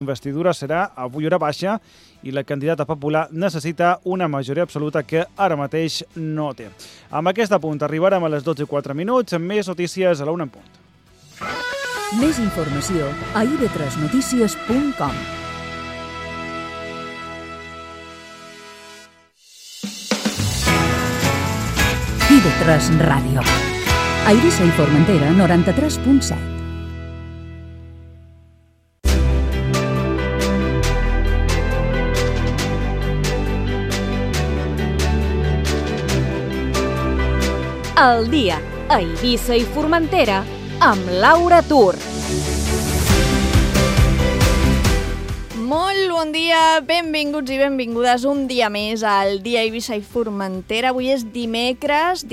Investidura serà avui hora baixa i la candidata popular necessita una majoria absoluta que ara mateix no té. Amb aquest apunt arribarem a les 12:04, amb més notícies a la 1 en punt. Més informació a ib3notícies.com. IB3 Ràdio. A Eivissa i Formentera, 93.7. El dia a Eivissa i Formentera amb Laura Tur. Molt bon dia, benvinguts i benvingudes un dia més al dia Eivissa i Formentera. Avui és dimecres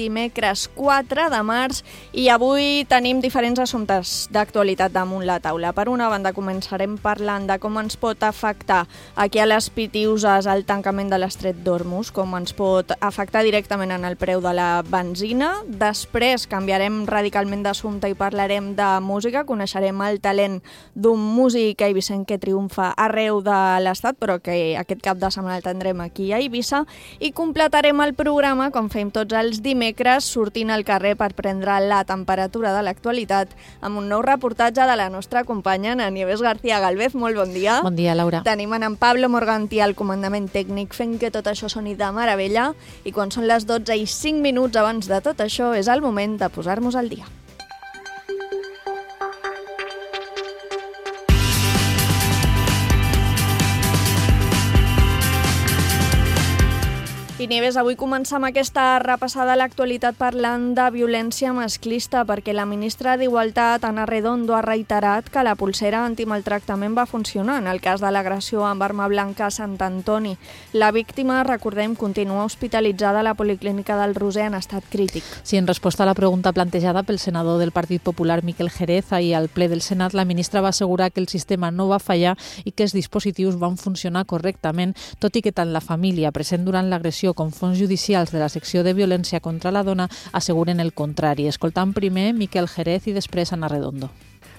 4 de març i avui tenim diferents assumptes d'actualitat damunt la taula. Per una banda començarem parlant de com ens pot afectar aquí a les Pitiüses el tancament de l'estret d'Hormuz, com ens pot afectar directament en el preu de la benzina. Després canviarem radicalment d'assumpte i parlarem de música. Coneixerem el talent d'un músic eivissenc que triomfa arreu de l'Estat, però que aquest cap de setmana el tindrem aquí a Eivissa, i completarem el programa, com fem tots els dimecres, sortint al carrer per prendre la temperatura de l'actualitat amb un nou reportatge de la nostra companya Ana Nieves García Galvez. Molt bon dia. Bon dia, Laura. Tenim en Pablo Morganti al comandament tècnic fent que tot això soni de meravella, i quan són les 12:05 abans de tot això és el moment de posar-nos al dia. I Nieves, avui comencem aquesta repassada a l'actualitat parlant de violència masclista, perquè la ministra d'Igualtat, Ana Redondo, ha reiterat que la polsera antimaltractament va funcionar en el cas de l'agressió amb arma blanca a Sant Antoni. La víctima, recordem, continua hospitalitzada a la Policlínica del Roser en estat crític. Sí, en resposta a la pregunta plantejada pel senador del Partit Popular, Miquel Jerez, ahir al ple del Senat, la ministra va assegurar que el sistema no va fallar i que els dispositius van funcionar correctament, tot i que tant la família present durant l'agressió com fons judicials de la secció de violència contra la dona asseguren el contrari. Escoltant primer Miquel Jerez i després Ana Redondo.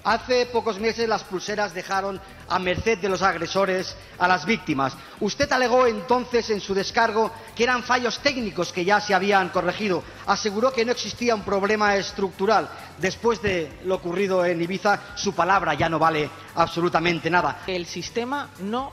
Hace pocos meses las pulseras dejaron a merced de los agresores a las víctimas. Usted alegó entonces en su descargo que eran fallos técnicos que ya se habían corregido. Aseguró que no existía un problema estructural. Después de lo ocurrido en Ibiza, su palabra ya no vale absolutamente nada. El sistema no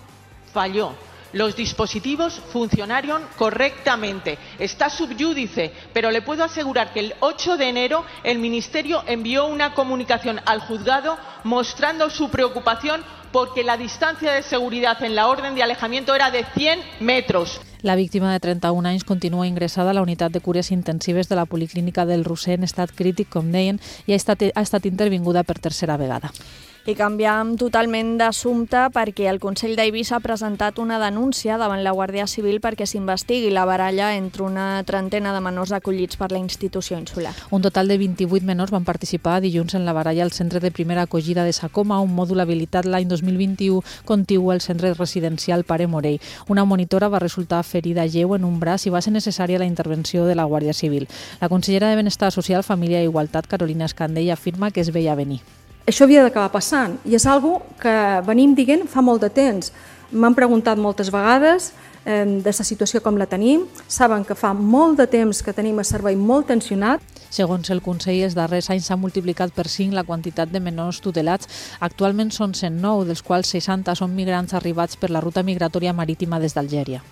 falló. Los dispositivos funcionaron correctamente. Está subyúdice, pero le puedo asegurar que el 8 de enero el Ministerio envió una comunicación al juzgado mostrando su preocupación porque la distancia de seguridad en la orden de alejamiento era de 100 metros. La víctima de 31 anys continua ingressada a la unitat de cures intensives de la Policlínica del Roser en estat crític, com deien, i ha estat intervinguda per tercera vegada. I canviem totalment d'assumpte perquè el Consell d'Eivissa ha presentat una denúncia davant la Guàrdia Civil perquè s'investigui la baralla entre una trentena de menors acollits per la institució insular. Un total de 28 menors van participar dilluns en la baralla al centre de primera acollida de Sacoma, un mòdul habilitat l'any 2021 contigu al centre residencial Pare Morell. Una monitora va resultar ferida lleu en un braç i va ser necessària la intervenció de la Guàrdia Civil. La consellera de Benestar Social, Família i Igualtat, Carolina Escandell, afirma que es veia venir. Això havia d'acabar passant i és una cosa que venim dient fa molt de temps. M'han preguntat moltes vegades de la situació com la tenim. Saben que fa molt de temps que tenim el servei molt tensionat. Segons el Consell, els darrers anys s'ha multiplicat per 5 la quantitat de menors tutelats. Actualment són 109, dels quals 60 són migrants arribats per la ruta migratòria marítima des d'Algèria.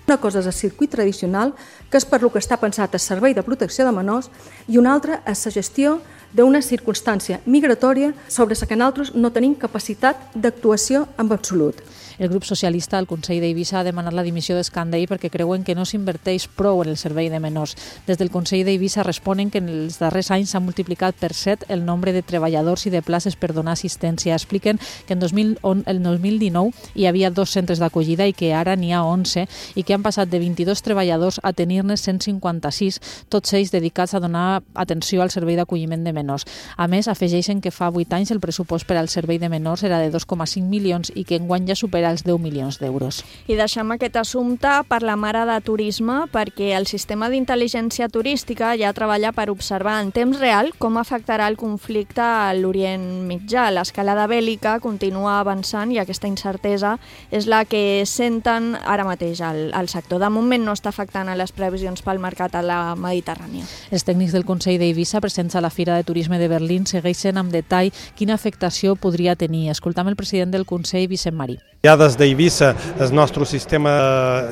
Una cosa és el circuit tradicional, que és per lo que està pensat el servei de protecció de menors, i una altra és la gestió d'una circumstància migratòria sobre la que nosaltres no tenim capacitat d'actuació en absolut. El grup socialista al Consell d'Eivissa ha demanat la dimissió d'Escandell perquè creuen que no s'inverteix prou en el servei de menors. Des del Consell d'Eivissa responen que en els darrers anys s'ha multiplicat per 7 el nombre de treballadors i de places per donar assistència. Expliquen que el 2019 hi havia 2 centres d'acollida i que ara n'hi ha 11 i que han passat de 22 treballadors a tenir-ne 156, tots ells dedicats a donar atenció al servei d'acolliment de menors. menors. A més, afegeixen que fa 8 anys el pressupost per al servei de menors era de 2,5 milions i que enguany ja supera els 10 milions d'euros. I deixem aquest assumpte per la mare de turisme, perquè el sistema d'intel·ligència turística ja treballa per observar en temps real com afectarà el conflicte a l'Orient Mitjà. L'escalada bèl·lica continua avançant i aquesta incertesa és la que senten ara mateix al sector. De moment no està afectant a les previsions pel mercat a la Mediterrània. Els tècnics del Consell d'Eivissa, presents a la Fira de Turisme de Berlín, segueixen amb detall quina afectació podria tenir. Escoltam el president del Consell, Vicent Marí. Ja des d'Eivissa, el nostre sistema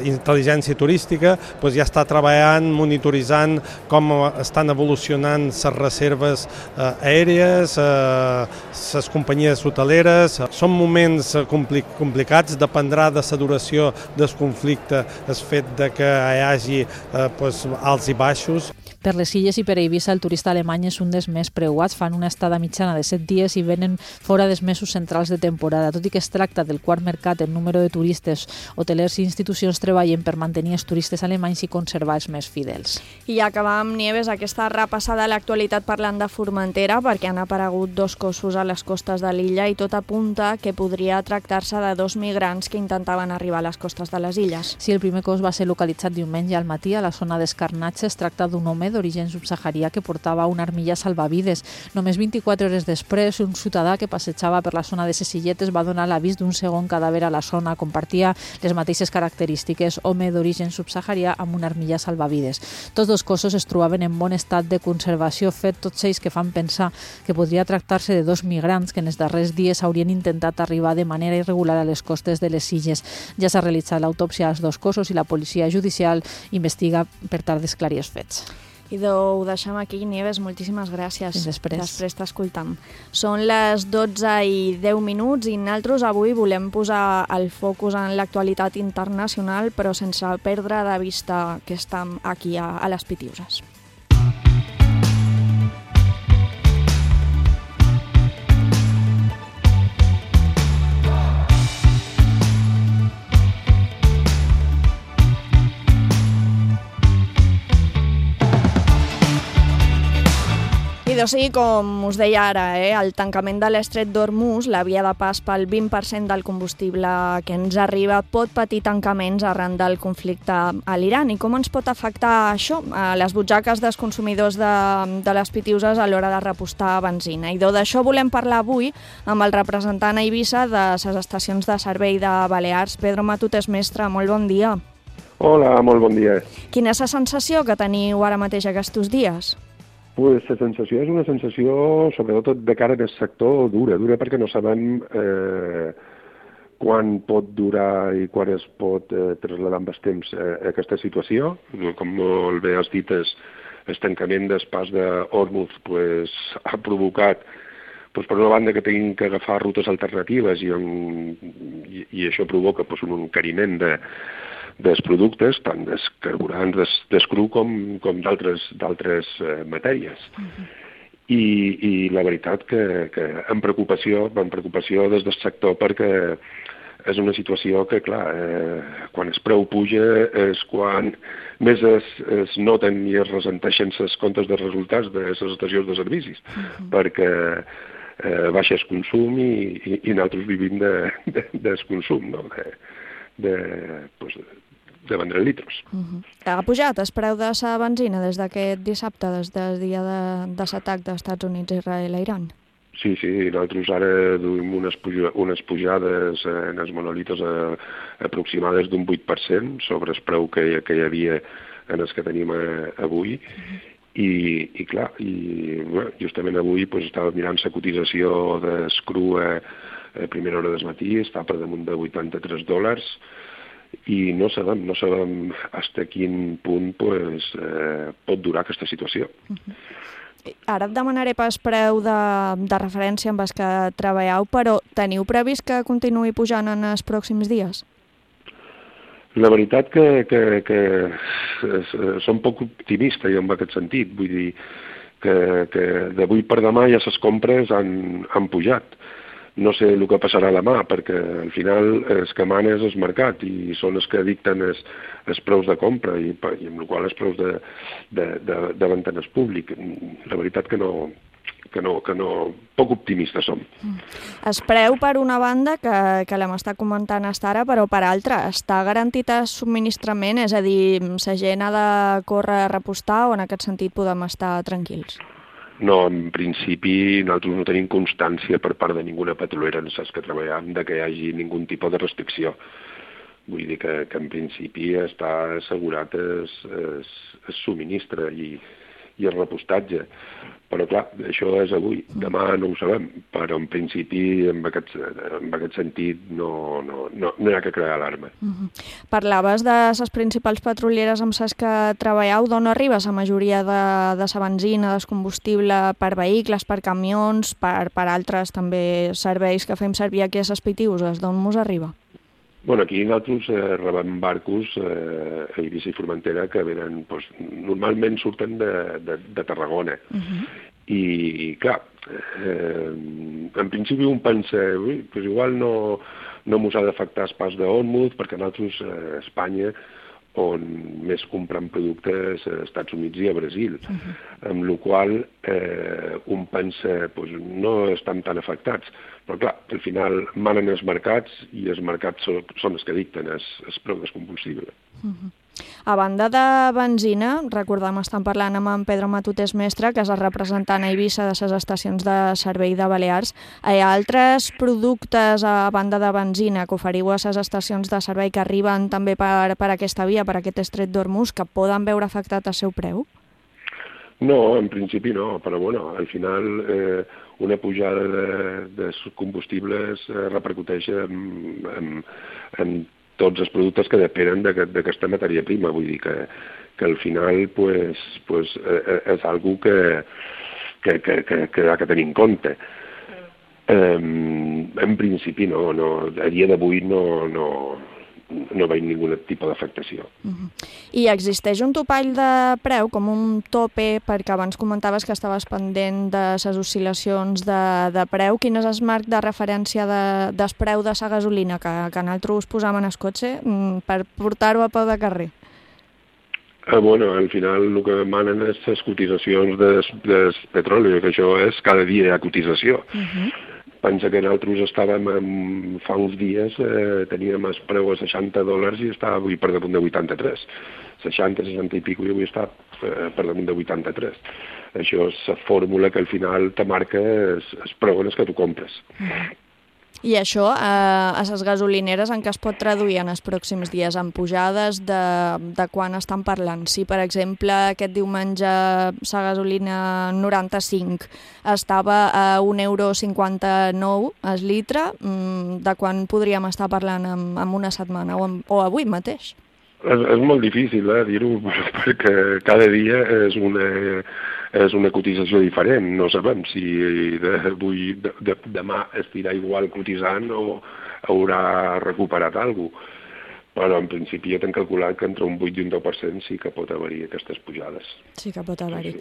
d'intel·ligència turística ja està treballant, monitoritzant com estan evolucionant les reserves aèries, les companyies hoteleres. Són moments complicats, dependrà de la duració del conflicte, el fet que hi hagi alts i baixos. Per les Illes i per Eivissa, el turista alemany és un dels més preuats. Fan una estada mitjana de 7 dies i venen fora dels mesos centrals de temporada. Tot i que es tracta del quart mercat en número de turistes, hotelers i institucions treballen per mantenir els turistes alemanys i conservar els més fidels. I acabam, Nieves, aquesta repassada a l'actualitat parlant de Formentera, perquè han aparegut 2 cossos a les costes de l'illa i tot apunta que podria tractar-se de 2 migrants que intentaven arribar a les costes de les illes. Sí, el primer cos va ser localitzat diumenge al matí a la zona d'Escarnatge. Es tracta d'un home d'origen subsaharià que portava una armilla salvavides. Només 24 hores després, un ciutadà que passejava per la zona de ses Illetes va donar l'avís d'un segon cadàver a la zona. Compartia les mateixes característiques, home d'origen subsaharià amb una armilla salvavides. Tots 2 cossos es trobaven en bon estat de conservació, fet tots ells que fan pensar que podria tractar-se de 2 migrants que en els darrers dies haurien intentat arribar de manera irregular a les costes de les Illes. Ja s'ha realitzat l'autòpsia als 2 cossos i la policia judicial investiga per tal d'esclarir els fets. I ho deixem aquí, Nieves, moltíssimes gràcies. Fins després. Després t'escoltam. Són les 12:10 i nosaltres avui volem posar el focus en l'actualitat internacional, però sense perdre de vista que estem aquí a les Pitiuses. I doncs sí, com us deia ara, el tancament de l'estret d'Hormuz, la via de pas pel 20% del combustible que ens arriba, pot patir tancaments arran del conflicte a l'Iran. I com ens pot afectar això a les butxaques dels consumidors de les Pitiuses a l'hora de repostar benzina? I d'això volem parlar avui amb el representant a Eivissa de les estacions de servei de Balears, Pedro Matutes Mestre. Molt bon dia. Hola, molt bon dia. Quina és la sensació que teniu ara mateix aquests dies? Pues la sensació és una sensació, sobretot de cara al sector, dura perquè no sabem quan pot durar i quan es pot traslladar amb el temps aquesta situació. Com molt bé has dit, el tancament del pas d'Hormuz ha provocat, per una banda, que tinguin que agafar rutes alternatives i això provoca un encariment dels productes, tant dels carburants, dels cru com d'altres matèries. I la veritat que amb preocupació des del sector, perquè és una situació que, clar, quan el preu puja és quan més es noten i es ressenteixen els comptes de resultats de les estacions de servicis, perquè baixa el consum i nosaltres vivim del consum, no? de vendre litros. Ha pujat el preu de la benzina des d'aquest dissabte, des del dia de l'atac dels Estats Units, Israel a Iran? Sí, nosaltres ara duim unes pujades en els monolitos aproximades d'un 8% sobre el preu que hi havia en els que tenim avui. I clar, justament avui estava mirant la cotització del cru a primera hora del matí, està per damunt de $83, i no sabem fins a quin punt pot durar aquesta situació. Ara et demanaré pas preu de referència amb els que treballeu, però teniu previst que continuï pujant en els pròxims dies? La veritat que som poc optimista jo en aquest sentit. Vull dir que d'avui per demà ja les compres han pujat. No sé el que passarà demà, perquè al final els que mana és el mercat i són els que dicten els preus de compra i amb el qual els preus de venda en el públic. La veritat que no poc optimistes som. Es preu, per una banda, que l'hem estat comentant fins ara, però per altra, està garantit el subministrament? És a dir, la gent ha de córrer a repostar o en aquest sentit podem estar tranquils? No, en principi nosaltres no tenim constància per part de ninguna petrolera en les que treballem de que hi hagi ningun tipus de restricció. Vull dir que en principi està assegurat el subministre i el repostatge. Però clar, això és avui. Demà no ho sabem, però en principi en aquest sentit no hi ha que crear alarma. Parlaves de les principals petrolieres amb les que treballeu. D'on arriba la majoria de la benzina, del combustible per vehicles, per camions, per altres també serveis que fem servir aquí a les Pitiuses? D'on mos arriba? Bueno, aquí nosaltres rebem barcos a Eivissa i Formentera que venen, normalment surten de Tarragona. I clar, en principi un pensa, igual no mos ha d'afectar el pas d'Ormuz, perquè nosaltres a Espanya on més compren productes als Estats Units i a Brasil, amb la qual un pensa no estan tan afectats. Però clar, al final manen els mercats i els mercats són els que dicten el preu del combustible. A banda de benzina, recordem, estem parlant amb en Pedro Matutes Mestre, que és el representant a Eivissa de les estacions de servei de Balears. Hi ha altres productes a banda de benzina que oferiu a les estacions de servei que arriben també per aquesta via, per aquest estret d'Ormuz, que poden veure afectat el seu preu? No, en principi no, però bueno, al final una pujada de combustibles repercuteix en tots els productes que depenen d'aquesta matèria prima. Vull dir que al final és algo que ha que tenir en compte. En principi no, a dia d'avui no veig ningun tipus d'afectació. I existeix un topall de preu, com un tope, perquè abans comentaves que estaves pendent de les oscil·lacions de preu. Quin és el marc de referència del preu de la gasolina que nosaltres posam en el cotxe per portar-ho a peu de carrer? Bueno, al final el que manen és les cotitzacions del petroli, que això és cada dia hi ha cotització. Pensa que nosaltres estàvem fa uns dies, teníem el preu a $60 i està avui per damunt de 83. 60, 60 i pico i avui està per damunt de 83. Això és la fórmula que al final te marca el preu en el que tu compres. I això, a les gasolineres, en què es pot traduir en els pròxims dies? En pujades de quan estan parlant? Si, per exemple, aquest diumenge la gasolina 95 estava a €1,59 el litre, de quan podríem estar parlant en una setmana o avui mateix? És molt difícil dir-ho, perquè cada dia és una cotització diferent. No sabem si demà estirà igual cotitzant o haurà recuperat alguna cosa. Però en principi ja t'hem calculat que entre un 8 i un 10% sí que pot haver-hi aquestes pujades. Sí que pot haver-hi.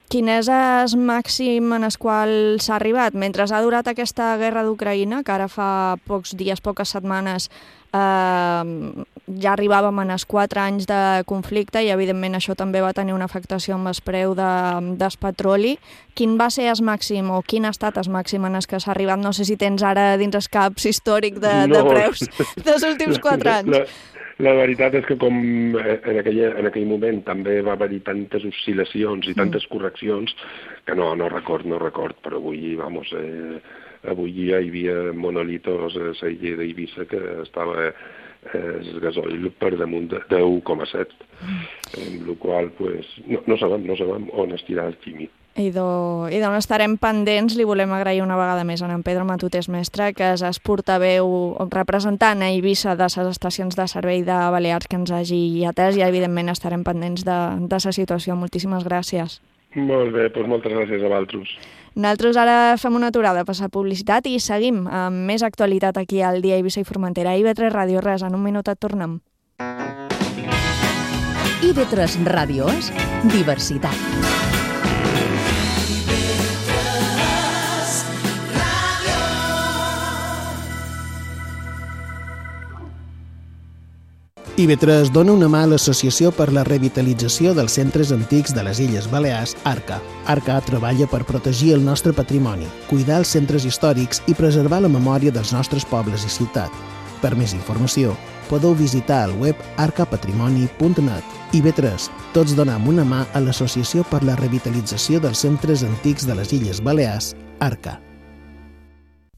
Quin és el màxim en el qual s'ha arribat? Mentre ha durat aquesta guerra d'Ucraïna, que ara fa pocs dies, poques setmanes, ja arribàvem en els 4 anys de conflicte i evidentment això també va tenir una afectació amb el preu del petroli. Quin va ser el màxim o quin ha estat el màxim en el que s'ha arribat? No sé si tens ara dins el caps històric de preus dels últims 4 anys. La veritat és que com en aquell moment també va haver-hi tantes oscil·lacions i tantes correccions que no record, però avui, avui ja hi havia monolitos a la illa d'Eivissa que estava el gasoil per damunt de 1,7, amb la qual no sabem on estirà el químic. I d'on estarem pendents, li volem agrair una vegada més a en Pedro Matutes Mestre, que és el portaveu representant a Eivissa de les estacions de servei de Balears, que ens hagi atès, i evidentment estarem pendents de la situació. Moltíssimes gràcies. Molt bé, doncs moltes gràcies a vosaltres. Nosaltres ara fem una aturada per la publicitat i seguim amb més actualitat aquí al Dia Eivissa i Formentera. IB3 Ràdio, res, en un minut et tornem. IB3 Ràdio és diversitat. IB3 dona una mà a l'Associació per la Revitalització dels Centres Antics de les Illes Balears, ARCA. ARCA treballa per protegir el nostre patrimoni, cuidar els centres històrics i preservar la memòria dels nostres pobles i ciutat. Per més informació, podeu visitar el web arcapatrimoni.net. IB3, tots donem una mà a l'Associació per la Revitalització dels Centres Antics de les Illes Balears, ARCA.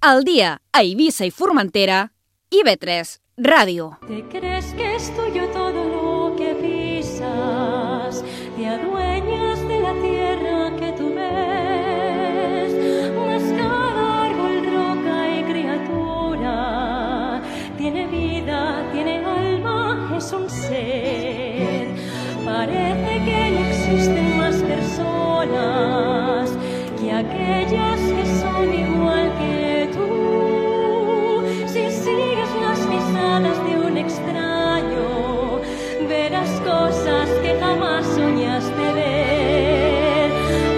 Al día a Eivissa y Formentera, IB3 Radio. ¿Te crees que es tuyo todo lo que pisas? Te adueñas de la tierra que tú ves, mas cada árbol, roca y criatura tiene vida, tiene alma, es un ser. Parece que no existen más personas que aquellas que son igual que tú. Si sigues las pisadas de un extraño, verás cosas que jamás soñaste ver.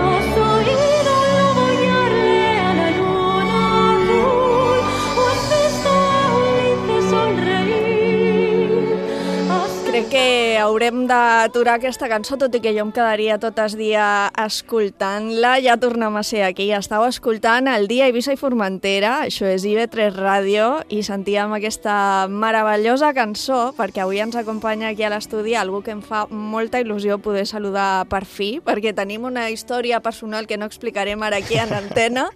¿Has oído el lobo guiarle a la luna azul? ¿O has visto a un lince sonreír? Crec que haurem d'aturar aquesta cançó, tot i que jo em quedaria tot el dia escoltant-la. Ja tornem a ser aquí. Estàu escoltant el Dia Eivissa i Formentera, això és IB3 Ràdio, i sentíem aquesta meravellosa cançó, perquè avui ens acompanya aquí a l'estudi algú que em fa molta il·lusió poder saludar per fi, perquè tenim una història personal que no explicarem ara aquí en antena,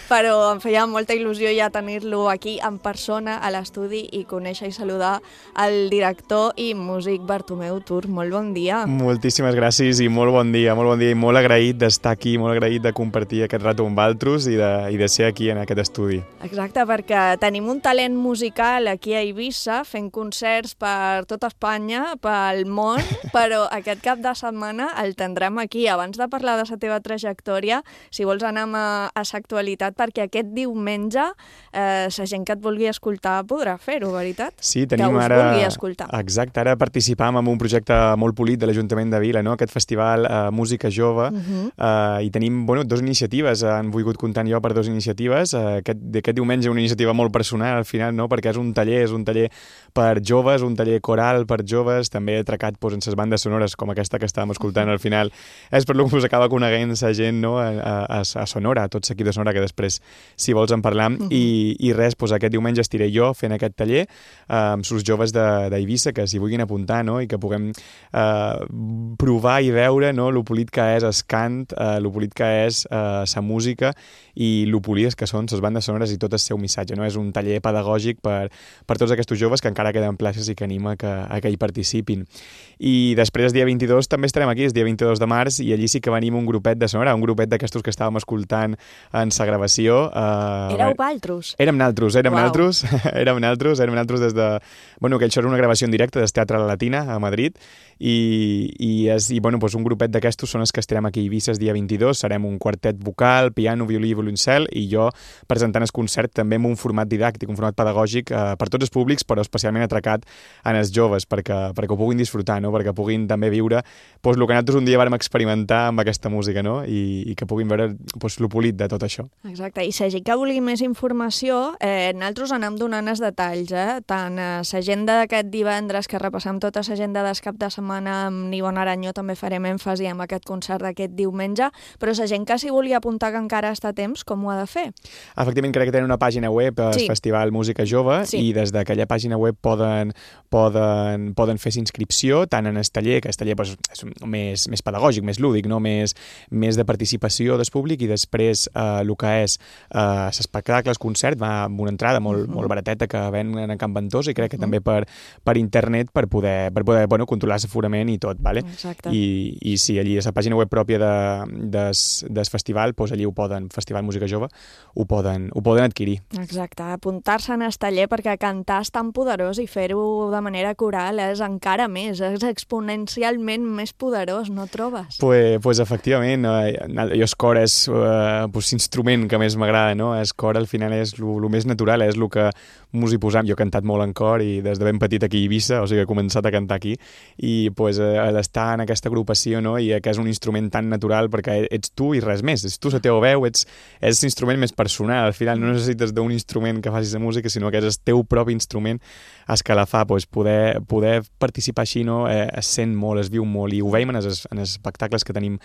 però em feia molta il·lusió ja tenir-lo aquí en persona a l'estudi i conèixer i saludar el director i músic Bartomeu Tur. Molt bon dia. Moltíssimes gràcies i molt bon dia i molt agraït d'estar aquí, molt agraït de compartir aquest rato amb altres i de ser aquí en aquest estudi. Exacte, perquè tenim un talent musical aquí a Eivissa fent concerts per tota Espanya, pel món, però aquest cap de setmana el tindrem aquí. Abans de parlar de la teva trajectòria, si vols anem a l'actualitat, perquè aquest diumenge la gent que et vulgui escoltar podrà fer-ho, veritat? Sí, tenim que us ara... vulgui escoltar. Exacte, ara participam en un projecte molt polit de l'Ajuntament de Vila, no? Aquest festival Música Jove, i tenim dues iniciatives, han volgut comptar jo per dues iniciatives. Aquest diumenge una iniciativa molt personal al final, no? Perquè és un taller per joves, un taller coral per joves, també atracat en les bandes sonores com aquesta que estàvem escoltant al final. És per lo que us acaba coneguent la gent, no? a Sonora, a tot l'equip de Sonora, que després, si vols, en parlam. I res, aquest diumenge estiré jo fent aquest taller amb els joves d'Eivissa que s'hi vulguin apuntar, no? I que puguem provar i veure, no? Lo polit que és el cant, lo polit que és la música i lo polides que són les bandes sonores i tot el seu missatge, no? És un taller pedagògic per tots aquests joves que encara queden places i que anima que hi participin. I després, el dia 22, també estarem aquí, el dia 22 de març, i allí sí que venim un grupet de Sonora, un grupet d'aquestos que estàvem escoltant en la gravació. Éreu vosaltres? Érem naltros des de... que això era una gravació en directe del Teatre La Latina a Madrid, i un grupet d'aquestos són els que estarem aquí a Eivissa el dia 22. Serem un quartet vocal, piano, violí i violoncel, i jo presentant el concert també amb un format didàctic, un format pedagògic per tots els públics, però especialment atracat en els joves, perquè ho puguin disfrutar, no? Perquè puguin també viure el que nosaltres un dia vàrem experimentar amb aquesta música, no? I que puguin veure lo polit de tot això. Exacte, i si que vulgui més informació, nosaltres anem donant els detalls, tant l'agenda d'aquest divendres, que repassem tota l'agenda del cap de setmana amb Nivon Aranyó, també farem èmfasi amb aquest concert d'aquest diumenge, però la gent que s'hi vulgui apuntar que encara està a temps, com ho ha de fer? Efectivament, crec que tenen una pàgina web, el Festival Música Jove, i des d'aquella pàgina web poden fer inscripció tant en el taller, que el taller és més pedagògic, més lúdic, no? més de participació del públic, i després el que és l'espectacle, el concert, va amb una entrada molt barateta que ven a Can Ventosa, i crec que també per internet per poder controlar l'aforament i tot, vale? I sí, allí a la pàgina web pròpia del festival, allí ho poden, Festival Música Jove, ho poden adquirir. Exacte, apuntar-se en el taller, perquè cantar és tan poderós i fer-ho de manera coral és encara més, és exponencialment més poderós, no trobes? Pues efectivament, jo el cor és l'instrument que més m'agrada, no? El cor al final és el més natural, és el que mos hi posam. Jo he cantat molt en cor i des de ben petit aquí a Eivissa, o sigui, he començat a cantar aquí, i l'estar en aquesta agrupació, no? I que és un instrument tan natural perquè ets tu i res més, és tu la teva veu, és l'instrument més personal, al final no necessites d'un instrument que facis la música, sinó que és el teu propi instrument escalafar, poder participar així, no? Es sent molt, es viu molt, i ho veiem en els espectacles que tenim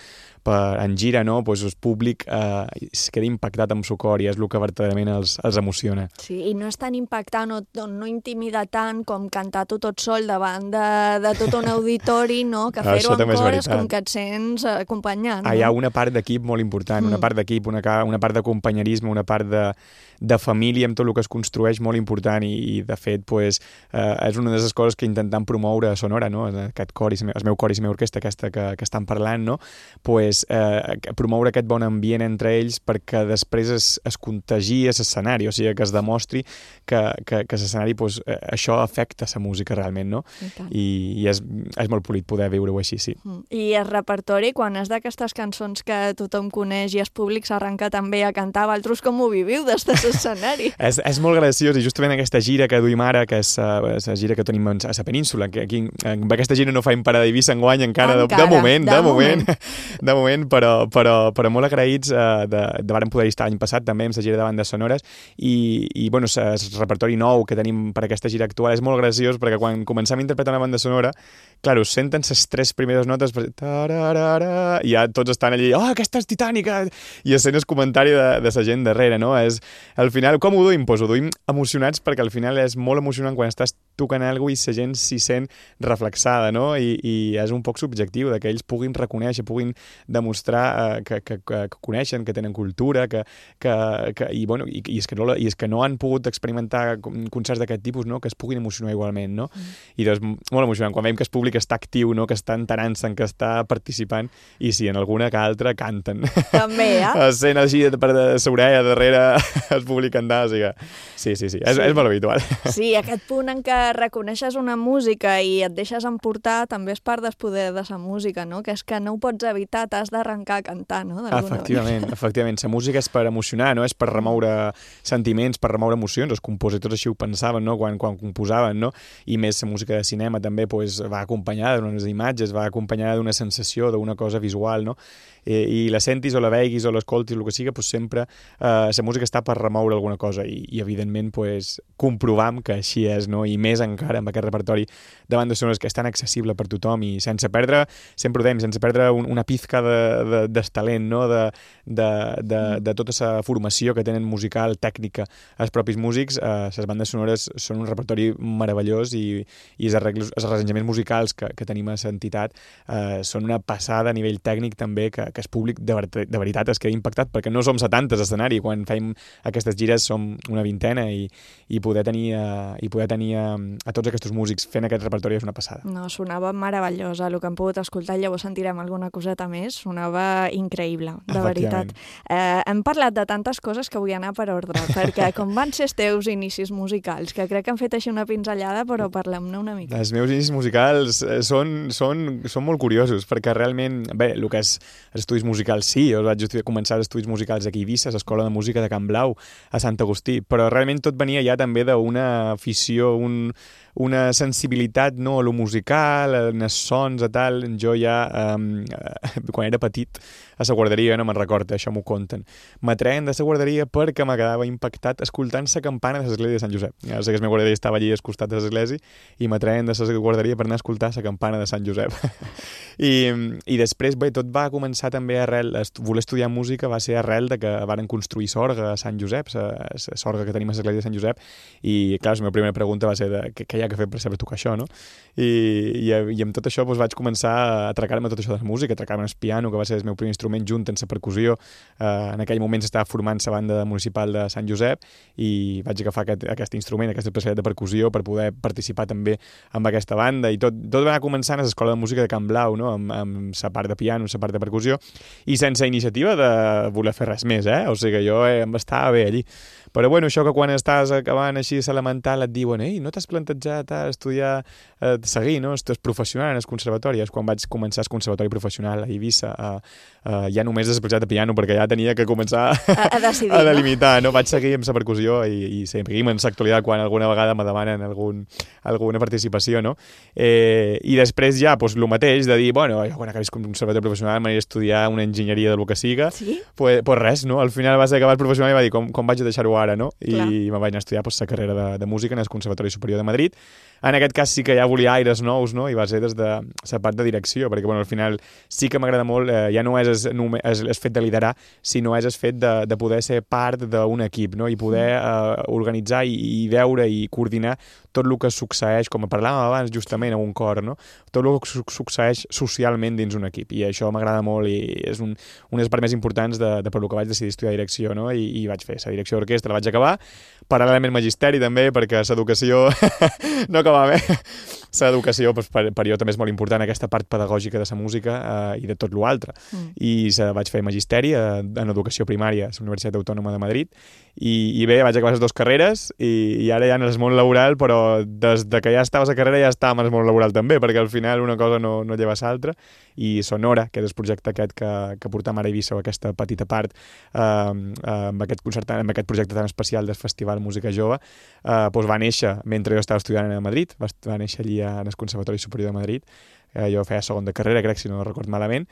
en gira, no? El públic es queda impactat amb su cor i és el que verdaderament els emociona. Sí, i no és tan impactant o no intimida tant com cantar tu tot sol davant de tot un auditori, no? Que fer-ho en cor és com que et sents acompanyant. Hi ha una part d'equip molt important, una part d'equip, una part d'acompanyerisme, una part de família amb tot el que es construeix molt important i de fet, és una de les coses que intentem promoure a Sonora, no? Aquest cor, el meu cor i la meva orquestra aquesta que estan parlant, no? Promoure aquest bon ambient entre ells perquè després es contagi a l'escenari, o sigui, que es demostri que l'escenari, això afecta la música realment, no? I és molt polit poder viure-ho així, sí. I el repertori, quan és d'aquestes cançons que tothom coneix i el públic s'arrenca també a cantar, vosaltres com ho viviu des de l'escenari? És molt graciós, i justament aquesta gira que duim ara, que és la gira que tenim a la península, que aquí amb aquesta gira no faim parada d'Eivissa enguany encara, de moment, però molt agraïts de vàrem poder estar l'any passat també amb la gira de bandes sonores i bueno, el repertori nou que tenim per aquesta gira actual és molt graciós perquè quan comencem a interpretar una banda sonora, clar, us senten les 3 primeres notes i ja tots estan allí, aquesta és titànica, i sent el comentari de la gent darrere, no? Al final, com ho duim? Ho duim emocionats perquè al final és molt emocionant quan estàs tocant alguna cosa i la gent s'hi sent reflexada, no? I és un poc subjectiu que ells puguin reconèixer, puguin demostrar que coneixen, que tenen cultura, i és que no han pogut experimentar concerts d'aquest tipus, no? Que es puguin emocionar igualment, no? I doncs molt emocionant, quan veiem que el públic està actiu, no? Que està enterant-se'n, que està participant, i si en alguna que altra canten. També, sent així per l'orella darrere el públic cantar, o sigui que sí, és molt habitual. Sí, aquest punt en què reconeixes una música i et deixes emportar també és part del poder de la música, no? Que és que no ho pots evitar, t'has d'arrencar a cantar, no? Efectivament. La música és per emocionar, no? És per remoure sentiments, per remoure emocions. Els compositors així ho pensaven, no? Quan composaven, no? I més la música de cinema també va acompanyada d'unes imatges, va acompanyada d'una sensació, d'una cosa visual, no? I la sentis o la veguis o l'escoltis, el que sigui, sempre la música està per remoure alguna cosa i evidentment comprovam que així és, no? I més encara amb aquest repertori de bandes sonores que és tan accessible per tothom i sense perdre, sempre ho dèiem, sense perdre una pizca de talent, no? De tota la formació que tenen musical, tècnica, els propis músics, les bandes sonores són un repertori meravellós i els arranjaments musicals que tenim a l'entitat són una passada a nivell tècnic també que el públic de veritat es queda impactat perquè no som 70 a l'escenari, quan fem aquestes gires som una vintena i poder tenir a tots aquests músics fent aquest repertori és una passada. No, sonava meravellosa, el que hem pogut escoltar, llavors sentirem alguna coseta més, sonava increïble, de veritat. Hem parlat de tantes coses que vull anar per ordre, perquè com van ser els teus inicis musicals, que crec que han fet així una pinzellada, però parlem-ne una mica. Els meus inicis musicals són molt curiosos, perquè realment, bé, el que és estudis musicals sí, jo vaig començar els estudis musicals aquí a Eivissa, a l'Escola de Música de Can Blau, a Sant Agustí, però realment tot venia ja també d'una afició, una sensibilitat, no, a lo musical, als sons, a tal. Jo ja, quan era petit, a la guarderia, no me'n recordo, això m'ho conten, m'atreien de la guarderia perquè me quedava impactat escoltant la campana de l'església de Sant Josep. Ja sé que la meva guarderia estava allí al costat de l'església i m'atreien de la guarderia per anar a escoltar la campana de Sant Josep. I després, bé, tot va començar també voler estudiar música va ser arrel de que varen construir Sorga a Sant Josep, la Sorga que tenim a l'església de Sant Josep, i clar, la meva primera pregunta va ser què hi ha que fer per saber tocar això, no? I amb tot això vaig començar a atracar-me tot això de la música, a atracar-me el piano, que va ser el meu primer instrument junt amb la percussió. En aquell moment s'estava formant la banda municipal de Sant Josep i vaig agafar aquest instrument, aquesta especialitat de percussió per poder participar també amb aquesta banda, i tot va anar començant a l'Escola de Música de Can Blau, no? Amb la part de piano, la part de percussió, i sense iniciativa de voler fer res més, o sigui que jo em estava bé allí. Però bueno, això que quan estàs acabant així l'elemental et diuen no t'has plantejat a estudiar, seguir, no? Estàs professional en el conservatori. És quan vaig començar el conservatori professional a Eivissa, ja només l'especialitat de piano, perquè ja tenia que començar a decidir, a delimitar, no? Vaig seguir amb la percussió i seguim en l'actualitat quan alguna vegada me demanen alguna participació, no? I després ja, el mateix, de dir, bueno, quan acabis el conservatori professional m'aniré a estudiar una enginyeria del que siga. Sí? Pues res, no? Al final va ser acabar el professional i va dir, com vaig a deixar-ho ara, no? I me vaig anar a estudiar la carrera de música en el Conservatori Superior de Madrid, En aquest cas sí que ja volia aires nous, no? I va ser des de la part de direcció, perquè al final sí que m'agrada molt, ja no és el fet de liderar, sinó és el fet de poder ser part d'un equip, no? I poder organitzar i veure i coordinar tot el que succeeix, com parlàvem abans justament a un cor, no? Tot el que succeeix socialment dins un equip, i això m'agrada molt i és una de les parts més importants de per el que vaig decidir estudiar direcció, no? I vaig fer la direcció d'orquestra, la vaig acabar, paral·lelament magisteri també, perquè l'educació no acabava bé. L'educació per jo també és molt important, aquesta part pedagògica de la música i de tot l'altre. I vaig fer magisteri en educació primària a la Universitat Autònoma de Madrid i bé, vaig acabar les 2 carreres i ara ja en el món laboral, però des que ja estava a la carrera ja estava en el món laboral també, perquè al final una cosa no lleva l'altra, i Sonora, que és el projecte aquest que portam ara a Eivissa, aquesta petita part amb aquest projecte tan especial del Festival Música Jove, doncs va néixer mentre jo estava estudiant a Madrid, va néixer allí en el Conservatori Superior de Madrid. Jo feia segon de carrera, crec, si no record malament,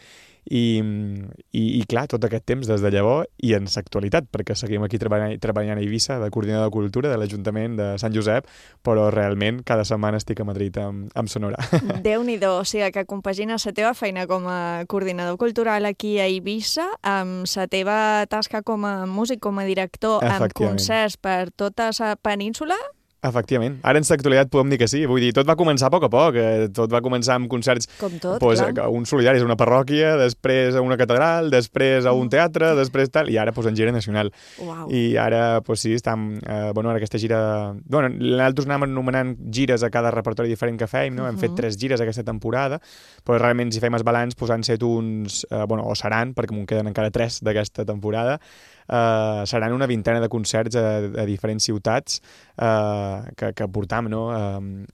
i clar, tot aquest temps des de llavors i en l'actualitat, perquè seguim aquí treballant a Eivissa, de coordinador de cultura de l'Ajuntament de Sant Josep, però realment cada setmana estic a Madrid amb Sonora. Déu-n'hi-do, o sigui que compagines la teva feina com a coordinador cultural aquí a Eivissa amb la teva tasca com a músic, com a director, amb concerts per tota la península. Efectivament. Ara en l'actualitat podem dir que sí. Vull dir, tot va començar a poc, tot va començar amb concerts, com tot, clar. Un solidaris a una parròquia, després a una catedral, després a un teatre, després tal, i ara en gira nacional. Uau. I ara, sí, estem... ara aquesta gira... nosaltres anàvem anomenant gires a cada repertori diferent que fèiem, no? Hem fet 3 gires aquesta temporada, però realment si fem el balanç, han set uns... o seran, perquè m'ho queden encara 3 d'aquesta temporada, seran una vintena de concerts a diferents ciutats que portam, no?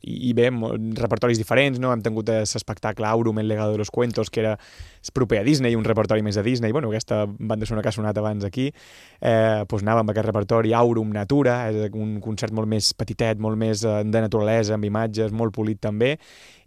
I bé, repertoris diferents, no? Hem tingut l'espectacle Aurum, el legado de los cuentos, que era proper a Disney, un repertori més a Disney, aquesta banda sonora que ha sonat abans aquí, anàvem amb aquest repertori Aurum Natura, és un concert molt més petitet, molt més de naturalesa, amb imatges, molt polit també,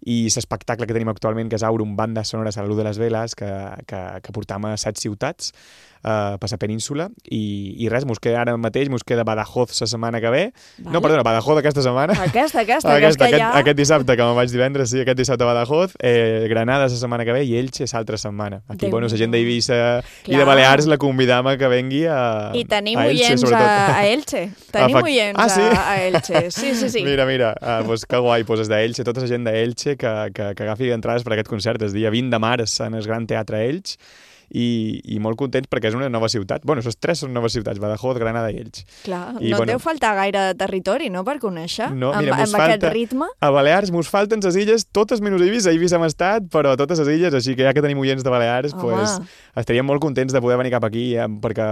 i l'espectacle que tenim actualment, que és Aurum, banda sonora a la luz de les veles, que portam a 7 ciutats per la península, i res, ara mateix mos queda Badajoz la setmana que ve. Vale. No, perdona, Badajoz aquesta setmana. Aquest dissabte, que me'n vaig divendres, sí, aquest dissabte a Badajoz, Granada la setmana que ve i Elche l'altra setmana. Aquí, la gent d'Eivissa i de Balears la convidam a que vengui a Elche. I tenim oients a Elche. Tenim oients a Elche. Sí. Mira, que guai, és d'Elche, tota la gent d'Elche que agafi entrades per aquest concert el dia 20 de març en el Gran Teatre Elx, i molt contents perquè és una nova ciutat. Les 3 són noves ciutats, Badajoz, Granada i Elx. Clar, no deu faltar gaire territori, no?, per conèixer, no, mira, amb aquest ritme. A Balears mos falten les illes, totes menys Eivissa. Eivissa hem estat, però totes les illes, així que ja que tenim oients de Balears, estaríem molt contents de poder venir cap aquí, perquè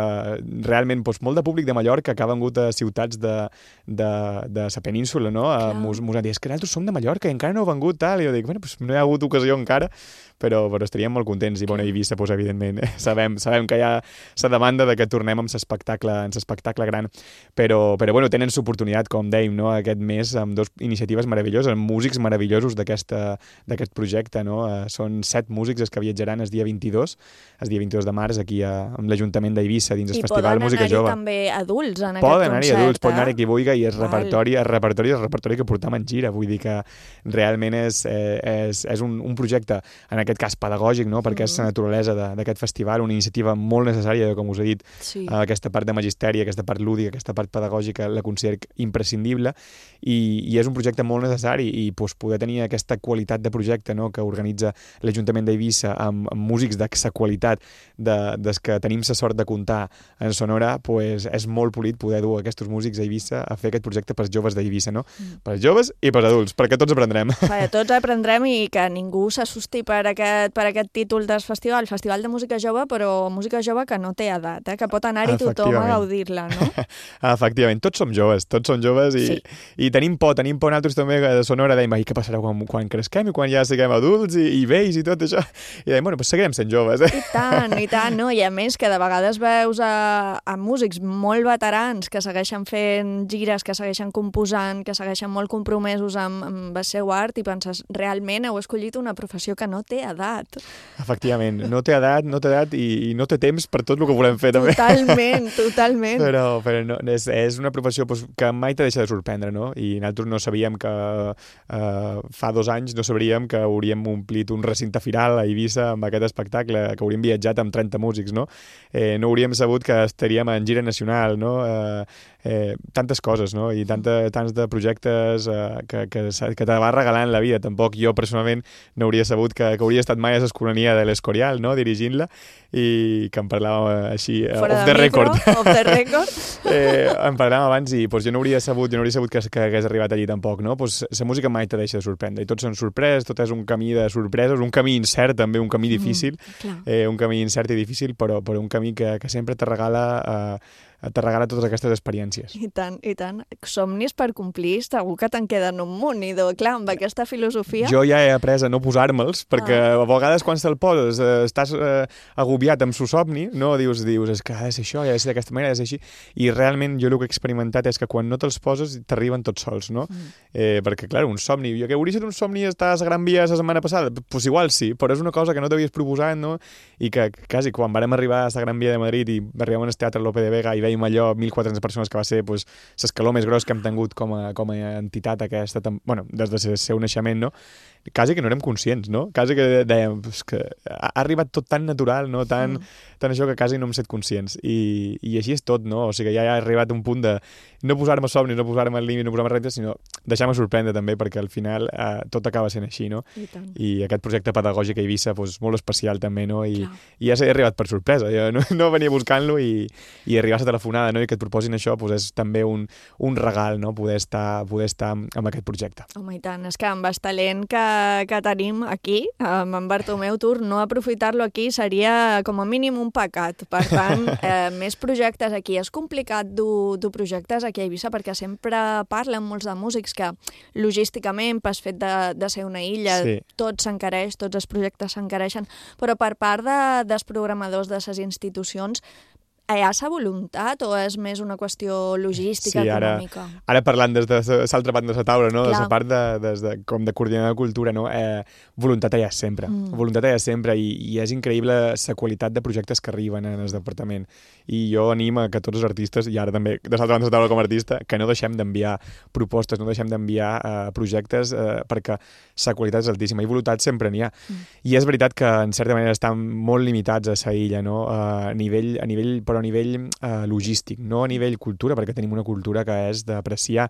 realment molt de públic de Mallorca que ha vengut a ciutats de la península, no? Mos han dit, és que nosaltres som de Mallorca i encara no heu vengut, tal, i jo dic, no hi ha hagut ocasió encara, però estaríem molt contents, i Eivissa, evidentment, sabem que hi ha la demanda de que tornem amb l'espectacle gran, però tenen l'oportunitat, com dèiem, no? Aquest mes, amb 2 iniciatives meravelloses, amb músics meravellosos d'aquest projecte, no? Són 7 músics els que viatjaran el dia 22 de març, aquí amb l'Ajuntament d'Eivissa, dins el Festival Música Jove. I poden anar-hi també adults en aquest concert. Poden anar-hi adults, poden anar-hi qui vulgui, i el repertori que portam en gira, vull dir que realment és un projecte, en aquest cas pedagògic, no? Perquè és la naturalesa d'aquest festival, una iniciativa molt necessària, com us he dit, aquesta part de magisteri, aquesta part lúdica, aquesta part pedagògica, la considero imprescindible, i és un projecte molt necessari, i poder tenir aquesta qualitat de projecte, no?, que organitza l'Ajuntament d'Eivissa amb músics de la qualitat des que tenim la sort de comptar en Sonora, és molt polit poder dur aquests músics a Eivissa a fer aquest projecte pels joves d'Eivissa, no? Pels joves i pels adults, perquè tots aprendrem. Tots aprendrem, i que ningú s'assusti per aquest títol del festival, el Festival de Música Jove, però música jove que no té edat, que pot anar-hi tothom a gaudir-la, no? Efectivament, tots som joves i tenim por nosaltres també de Sonora, dèiem, què passarà quan cresquem i quan ja siguem adults i vells i tot això, i dèiem, seguirem sent joves. I tant, no? I a més que de vegades veus a músics molt veterans que segueixen fent gires, que segueixen composant, que segueixen molt compromesos amb el seu art, i penses, realment heu escollit una professió que no té edat. Efectivament, no té edat, no no té edat i no té temps per tot el que volem fer, també. Totalment. Però no, és una professió que mai te deixa de sorprendre, no? I nosaltres no sabíem que fa 2 anys no sabríem que hauríem omplit un recinte firal a Eivissa amb aquest espectacle, que hauríem viatjat amb 30 músics, no? No hauríem sabut que estaríem en gira nacional, no? Tantes coses, no? I tants de projectes que te va regalant la vida. Tampoc jo personalment no hauria sabut que hauria estat mai a l'Escolania de l'Escorial, no? Dirigint-la, i que em parlàvem així off the record. Em parlàvem abans i jo no hauria sabut que hagués arribat allí tampoc, no? La música mai te deixa de sorprendre, i tots són sorpreses, tot és un camí de sorpreses, un camí incert també, un camí difícil, un camí incert i difícil, però un camí que sempre te regala totes aquestes experiències. I tant. Somnis per complir, segur que te'n queden un munt, i clar, amb aquesta filosofia... Jo ja he après a no posar-me'ls, perquè a vegades quan te'l poses estàs agobiat amb el somni, no? Dius, és que ha de ser això, ha de ser d'aquesta manera, ha de ser així, i realment jo el que he experimentat és que quan no te'ls poses t'arriben tots sols, no? Perquè, clar, un somni, jo que hauria estat un somni estar a la Gran Via la setmana passada, doncs igual sí, però és una cosa que no t'havies proposat, no? I que quasi quan vam arribar a la Gran Via de Madrid i arribàvem al Teatre Lope de Vega i veiem allò 1.400 persones, que va ser l'escaló més gros que hem tingut com a entitat aquesta, des del seu naixement, no? Quasi que no érem conscients, no? Quasi que dèiem que ha arribat tot tan natural, no? Tan això que quasi no hem estat conscients. I així és tot, no? O sigui, ja ha arribat un punt de no posar-me somnis, no posar-me al límit, no posar-me reptes, sinó deixar-me sorprendre també, perquè al final tot acaba sent així, no? I aquest projecte pedagògic a Eivissa, molt especial també, no? I ja s'ha arribat per sorpresa. Jo no venia buscant-lo i arribar a la telefonada, no? I que et proposin això és també un regal, no? Poder estar amb aquest projecte. Home, i tant, és que amb el talent que tenim aquí, amb en Bartomeu Tur, no aprofitar-lo aquí seria com a mínim un pecat. Per tant, més projectes aquí. És complicat dur projectes aquí a Eivissa, perquè sempre parlen molts de músics que logísticament, pel fet de ser una illa, tot s'encareix, tots els projectes s'encareixen, però per part dels programadors de les institucions, hi ha sa voluntat o és més una qüestió logística, econòmica? Ara parlant des de l'altra part de la taula, no? Des de la part com de coordinador de cultura, no? Voluntat hi ha sempre. Voluntat hi ha sempre, i és increïble la qualitat de projectes que arriben en el departament. I jo animo que tots els artistes, i ara també de l'altra banda de la taula com a artista, que no deixem d'enviar propostes, no deixem d'enviar projectes, perquè la qualitat és altíssima, i voluntat sempre n'hi ha. I és veritat que en certa manera estan molt limitats a la illa, no? A nivell logístic, no a nivell cultura, perquè tenim una cultura que és d'apreciar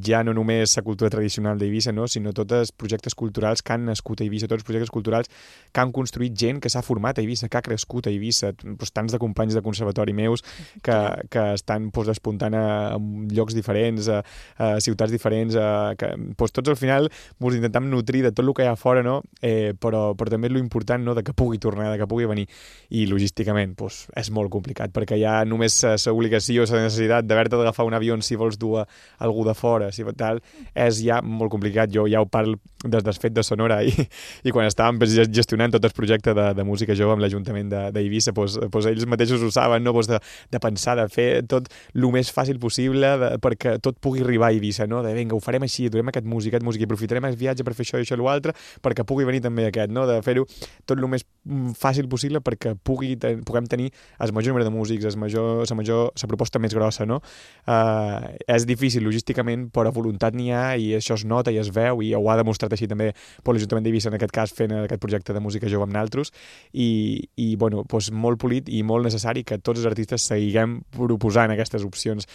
ja no només la cultura tradicional d'Eivissa, no? Sinó tots els projectes culturals que han nascut a Eivissa, tots els projectes culturals que han construït gent que s'ha format a Eivissa, que ha crescut a Eivissa, tants de companys de conservatori meus que estan despuntant a llocs diferents, a ciutats diferents, tots al final ens intentem nutrir de tot el que hi ha fora, no? Però també és l'important, no? De que pugui tornar, de que pugui venir, i logísticament és molt complicat, perquè hi ha només l'obligació, la necessitat d'haver-te d'agafar un avió si vols dur algú de fora, si tal, és ja molt complicat. Jo ja ho parlo des del fet de Sonora, i quan estàvem gestionant tot el projecte de música jove amb l'Ajuntament d'Eivissa, ells mateixos ho saben, no? De pensar, de fer tot el més fàcil possible perquè tot pugui arribar a Eivissa, no? De vinga, ho farem així, durem aquest músic, i aprofitarem el viatge per fer això i això i l'altre, perquè pugui venir també aquest, no? De fer-ho tot el més fàcil possible perquè puguem tenir el major número de músics, la proposta més grossa, no? És difícil logísticament, però voluntat n'hi ha, i això es nota i es veu, i ho ha demostrat així també l'Ajuntament d'Eivissa, en aquest cas fent aquest projecte de música jove amb naltros, i molt polit i molt necessari que tots els artistes seguiguem proposant aquestes opcions,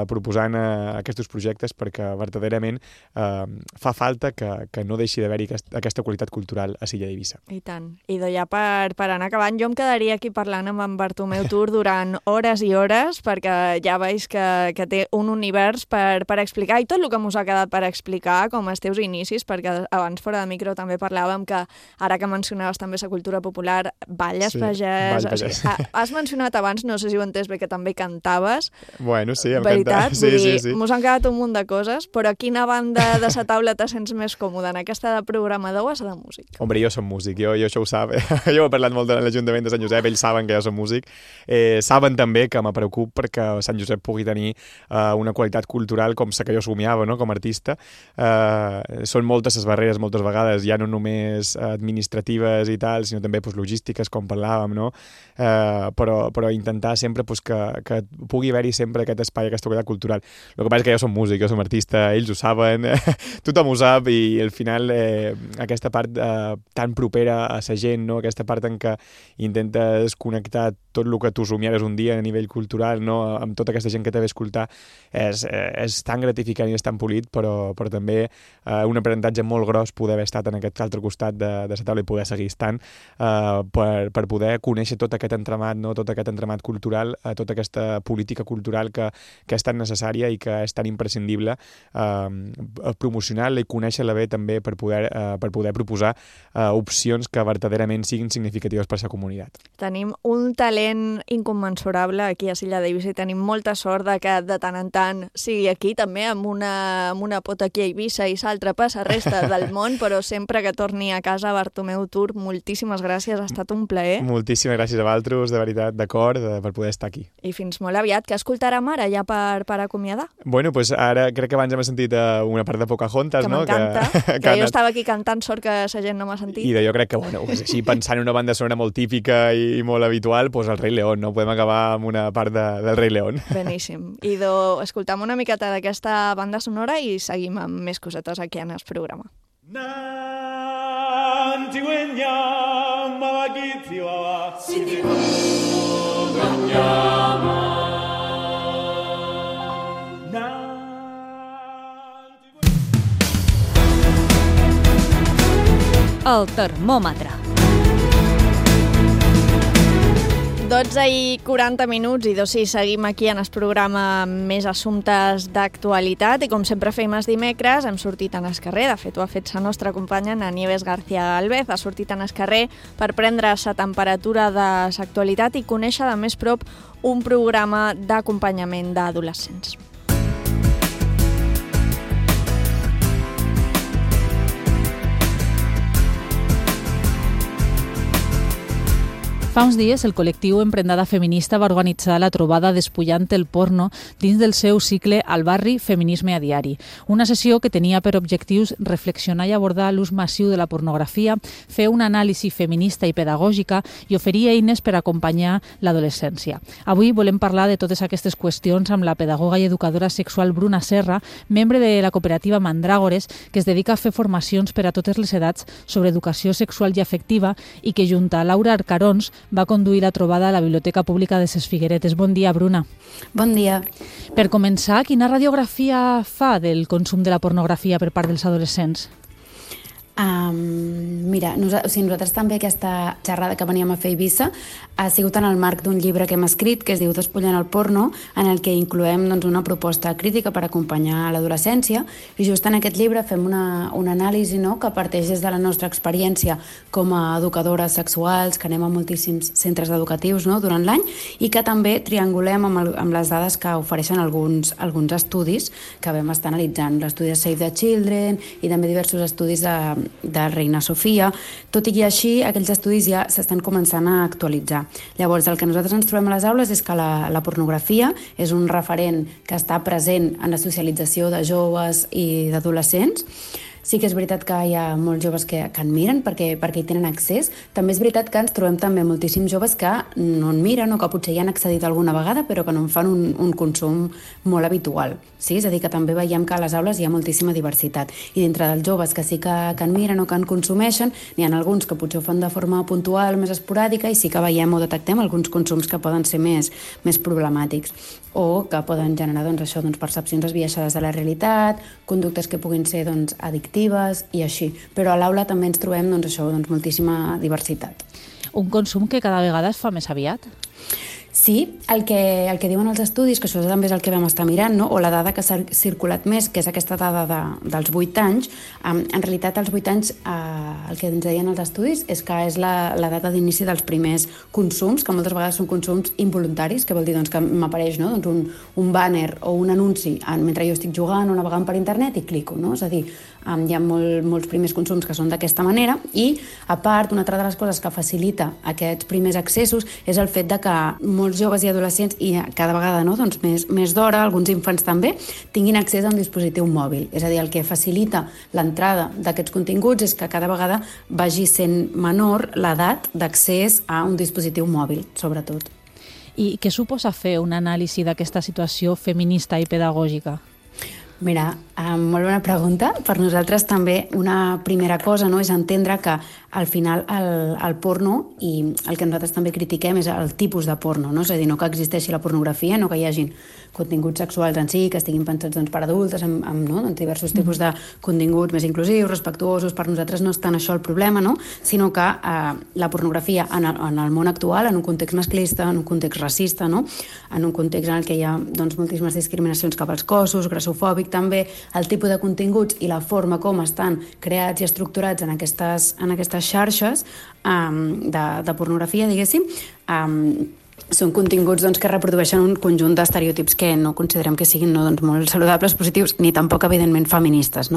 proposant aquests projectes, perquè verdaderament fa falta que no deixi d'haver-hi aquesta qualitat cultural a l'illa d'Eivissa. I tant. I ja per anar acabant, jo em quedaria aquí parlant amb en Bartomeu Tur durant hores i hores, perquè ja veus que té un univers per explicar, i tot el que mos ha quedat per explicar, com els teus inicis, perquè abans fora de micro també parlàvem que, ara que mencionaves també la cultura popular, balles pagès... Has mencionat abans, no sé si ho he entès bé, que també cantaves. Bueno, sí, em cantava. Sí. Mos han quedat un munt de coses, però a quina banda de la taula te sents més còmode, en aquesta de programador o a la de músic? Hombre, jo som músic, jo això ho sap. Jo he parlat molt de l'Ajuntament de Sant Josep, ells saben que jo som músic. Saben també que me preocup perquè Sant Josep pugui tenir una qualitat cultural com la que jo somiava, no? Com a artista. Són moltes aquestes barreres moltes vegades, ja no només administratives i tal, sinó també logístiques, com parlàvem, no? Però intentar sempre que pugui haver-hi sempre aquest espai, aquesta qualitat cultural. El que passa és que jo som músic, jo som artista, ells ho saben, tothom ho sap, i al final aquesta part tan propera a la gent, no? Aquesta part en què intentes connectar tot el que tu somiares un dia a nivell cultural, no? Amb tota aquesta gent que t'ha d'escoltar, és tan gratificant i és tan polit, però també un aprenentatge molt gros poder haver estat en aquest altre costat de la taula i poder seguir estant per poder conèixer tot aquest entramat, no? Tot aquest entramat cultural, tota aquesta política cultural que és tan necessària i que és tan imprescindible promocionar-la i conèixer-la bé també per poder proposar opcions que verdaderament siguin significatives per a la comunitat. Tenim un talent incommensurable aquí a Silla d'Eivissa i tenim molta sort de que de tant en tant sigui aquí també, amb una pota aquí a Eivissa i l'altra per la resta del món, però sempre que torni a casa, Bartomeu Tur, moltíssimes gràcies, ha estat un plaer. Moltíssimes gràcies a vosaltres, de veritat, d'acord, per poder estar aquí. I fins molt aviat, que escoltarem ara ja per acomiadar? Bueno, doncs ara crec que abans hem sentit una part de Pocahontas, no? Que m'encanta, que jo estava aquí cantant, sort que la gent no m'ha sentit. I jo crec que, bueno, així pensant en una banda sonora molt típica i molt habitual, doncs el Rei León, no? Podem acabar amb una part del Rei León. Beníssim. I escoltam una miqueta d'aquesta banda sonora i seguim amb més cosetes aquí en el programa. El termòmetre. 12:40 i sí, seguim aquí en el programa amb més assumptes d'actualitat i com sempre fem els dimecres hem sortit en el carrer, de fet ho ha fet la nostra companya Ana Nieves García Galvez, ha sortit en el carrer per prendre la temperatura de l'actualitat i conèixer de més prop un programa d'acompanyament d'adolescents. Fa uns dies, el col·lectiu Emprendada Feminista va organitzar la trobada Despullant el porno dins del seu cicle Al barri, feminisme a diari. Una sessió que tenia per objectius reflexionar i abordar l'ús massiu de la pornografia, fer una anàlisi feminista i pedagògica i oferir eines per acompanyar l'adolescència. Avui volem parlar de totes aquestes qüestions amb la pedagoga i educadora sexual Bruna Serra, membre de la cooperativa Mandràgores, que es dedica a fer formacions per a totes les edats sobre educació sexual i afectiva i que, junt a Laura Arcarons, va conduir la trobada a la Biblioteca Pública de Ses Figueretes. Bon dia, Bruna. Bon dia. Per començar, quina radiografia fa del consum de la pornografia per part dels adolescents? Mira, nosaltres també aquesta xerrada que veníem a fer a Eivissa ha sigut en el marc d'un llibre que hem escrit que es diu Despullant el porno, en el que incloem una proposta crítica per acompanyar l'adolescència i just en aquest llibre fem una anàlisi que parteix des de la nostra experiència com a educadores sexuals, que anem a moltíssims centres educatius durant l'any i que també triangulem amb les dades que ofereixen alguns estudis que vam estar analitzant, l'estudi de Save the Children i també diversos estudis de Reina Sofia. Tot i així, aquells estudis ja s'estan començant a actualitzar. Llavors, el que nosaltres ens trobem a les aules és que la pornografia és un referent que està present en la socialització de joves i d'adolescents. Sí que és veritat que hi ha molts joves que en miren perquè hi tenen accés. També és veritat que ens trobem també moltíssims joves que no en miren o que potser hi han accedit alguna vegada però que no en fan un consum molt habitual. Sí? És a dir, que també veiem que a les aules hi ha moltíssima diversitat. I dintre dels joves que sí que en miren o que en consumeixen, n'hi ha alguns que potser ho fan de forma puntual, més esporàdica, i sí que veiem o detectem alguns consums que poden ser més problemàtics o que poden generar percepcions esbiaixades de la realitat, conductes que puguin ser addictives i així. Però a l'aula també ens trobem moltíssima diversitat. Un consum que cada vegada es fa més aviat? Sí, el que diuen els estudis, que això també és el que vam estar mirant, o la dada que s'ha circulat més, que és aquesta dada dels 8 anys, en realitat als 8 anys el que ens deien els estudis és que és la data d'inici dels primers consums, que moltes vegades són consums involuntaris, que vol dir que m'apareix un banner o un anunci mentre jo estic jugant o navegant per internet i clico, és a dir, hi ha molts primers consums que són d'aquesta manera i, a part, una altra de les coses que facilita aquests primers accessos és el fet de que molts joves i adolescents, i cada vegada doncs més d'hora, alguns infants també, tinguin accés a un dispositiu mòbil. És a dir, el que facilita l'entrada d'aquests continguts és que cada vegada vagi sent menor l'edat d'accés a un dispositiu mòbil, sobretot. I què suposa fer una anàlisi d'aquesta situació feminista i pedagògica? Mira, molt bona pregunta. Per nosaltres també una primera cosa és entendre que al final el porno, i el que nosaltres també critiquem és el tipus de porno, és a dir, no que existeixi la pornografia, no que hi hagin continguts sexuals en si, que estiguin pensats per adultes, amb diversos tipus de continguts més inclusius, respectuosos. Per nosaltres no és tant això el problema, sinó que la pornografia en el món actual, en un context masclista, en un context racista, en un context en què hi ha moltíssimes discriminacions cap als cossos, grassofòbic també, el tipus de continguts i la forma com estan creats i estructurats en aquestes xarxes de pornografia, diguéssim, són continguts que reprodueixen un conjunt d'estereotips que no considerem que siguin molt saludables, positius, ni tampoc, evidentment, feministes.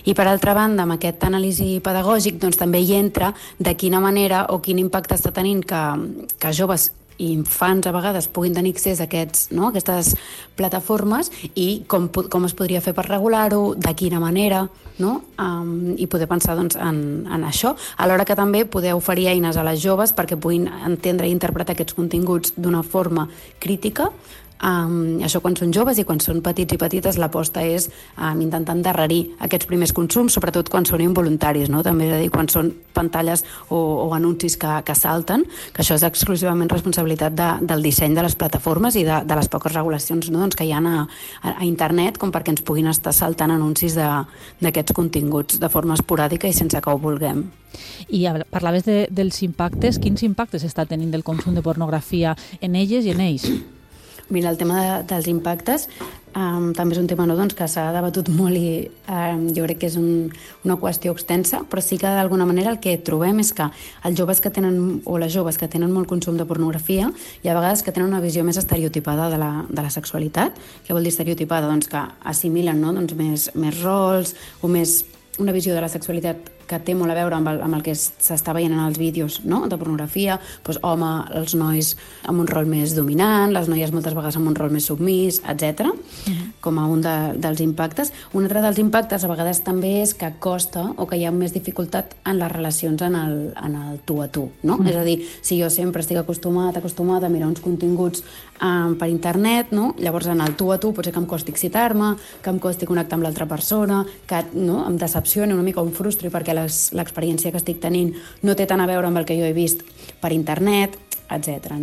I, per altra banda, amb aquest anàlisi pedagògic també hi entra de quina manera o quin impacte està tenint que joves i infants a vegades puguin tenir accés a aquestes plataformes i com es podria fer per regular-ho, de quina manera, i poder pensar en això, alhora que també poder oferir eines a les joves perquè puguin entendre i interpretar aquests continguts d'una forma crítica. Això quan són joves i quan són petits i petites l'aposta és intentar endarrerir aquests primers consums, sobretot quan són involuntaris, també, és a dir, quan són pantalles o anuncis que salten, que això és exclusivament responsabilitat del disseny de les plataformes i de les poques regulacions que hi ha a internet com perquè ens puguin estar saltant anuncis d'aquests continguts de forma esporàdica i sense que ho vulguem. I parlaves dels impactes. Quins impactes està tenint el consum de pornografia en elles i en ells? Mira, el tema dels impactes també és un tema que s'ha debatut molt i jo crec que és una qüestió extensa, però sí que d'alguna manera el que trobem és que els joves que tenen, o les joves que tenen molt consum de pornografia, hi ha vegades que tenen una visió més estereotipada de la sexualitat. Què vol dir estereotipada? Que assimilen més rols o més una visió de la sexualitat que té molt a veure amb el que s'està veient en els vídeos de pornografia, home, els nois amb un rol més dominant, les noies moltes vegades amb un rol més submís, etc. Com a un dels impactes. Un altre dels impactes a vegades també és que costa o que hi ha més dificultat en les relacions en el tu a tu. És a dir, si jo sempre estic acostumada a mirar uns continguts per internet, llavors en el tu a tu potser que em costi excitar-me, que em costi connectar amb l'altra persona, que em decepcioni una mica, em frustri perquè l'experiència que estic tenint no té tant a veure amb el que jo he vist per internet, etc.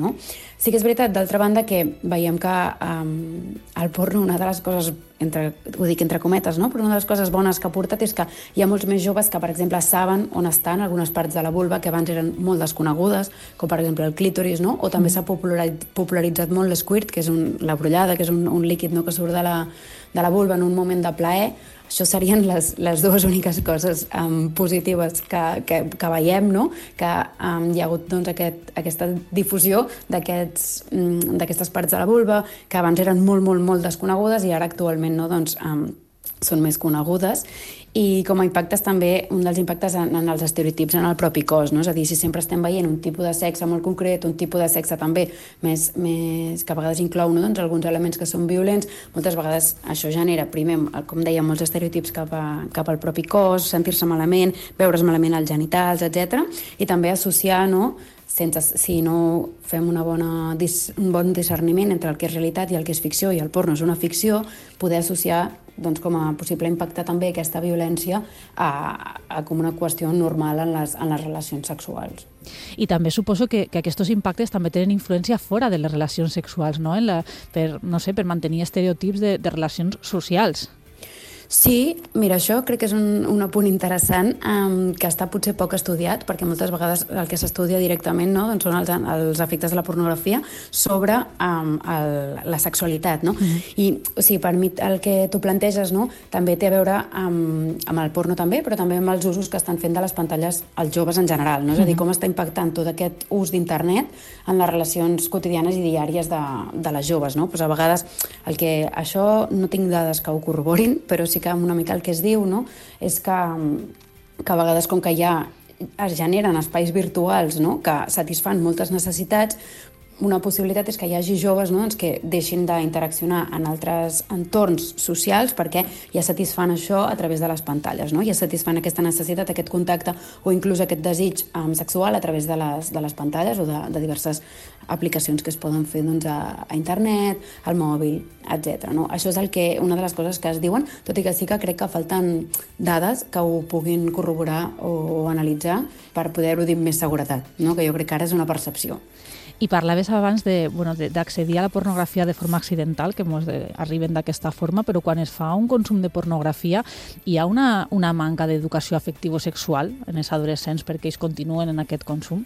Sí que és veritat, d'altra banda, que veiem que el porno, una de les coses, ho dic entre cometes, però una de les coses bones que ha portat és que hi ha molts més joves que, per exemple, saben on estan algunes parts de la vulva que abans eren molt desconegudes, com per exemple el clítoris, o també s'ha popularitzat molt l'esquirt, que és la brollada, que és un líquid que surt de la vulva en un moment de plaer. Això serien les dues úniques coses positives que veiem, que hi ha hagut aquesta difusió d'aquestes parts de la vulva que abans eren molt, molt, molt desconegudes i ara actualment són més conegudes. I com a impactes també, un dels impactes en els estereotips en el propi cos, és a dir, si sempre estem veient un tipus de sexe molt concret, un tipus de sexe també més que a vegades inclou alguns elements que són violents, moltes vegades això genera, primer, com dèiem, molts estereotips cap al propi cos, sentir-se malament, veure's malament els genitals, etc. I també associar, si no fem un bon discerniment entre el que és realitat i el que és ficció, i el porno és una ficció, poder associar com a possible impacte també aquesta violència com una qüestió normal en les relacions sexuals. I també suposo que aquests impactes també tenen influència fora de les relacions sexuals, per mantenir estereotips de relacions socials. Sí, mira, això crec que és un apunt interessant que està potser poc estudiat, perquè moltes vegades el que s'estudia directament són els efectes de la pornografia sobre la sexualitat. I per mi el que tu planteges també té a veure amb el porno també, però també amb els usos que estan fent de les pantalles els joves en general. És a dir, com està impactant tot aquest ús d'internet en les relacions quotidianes i diàries de les joves. A vegades això no tinc dades que ho corroborin, però sí que una mica el que es diu, no? És que a vegades, com que ja es generen espais virtuals, no?, que satisfan moltes necessitats, una possibilitat és que hi hagi joves, no?, doncs que deixin d'interaccionar en altres entorns socials perquè ja satisfan això a través de les pantalles, no? Ja satisfan aquesta necessitat, aquest contacte o inclús aquest desig sexual a través de les pantalles o de diverses aplicacions que es poden fer doncs, a internet, al mòbil, etc. No? Això és una de les coses que es diuen, tot i que sí que crec que falten dades que ho puguin corroborar o analitzar per poder-ho dir amb més seguretat, no? Que jo crec que ara és una percepció. I parlaves abans d'accedir a la pornografia de forma accidental, que ens arriben d'aquesta forma, però quan es fa un consum de pornografia hi ha una manca d'educació afectivo-sexual en els adolescents perquè ells continuen en aquest consum?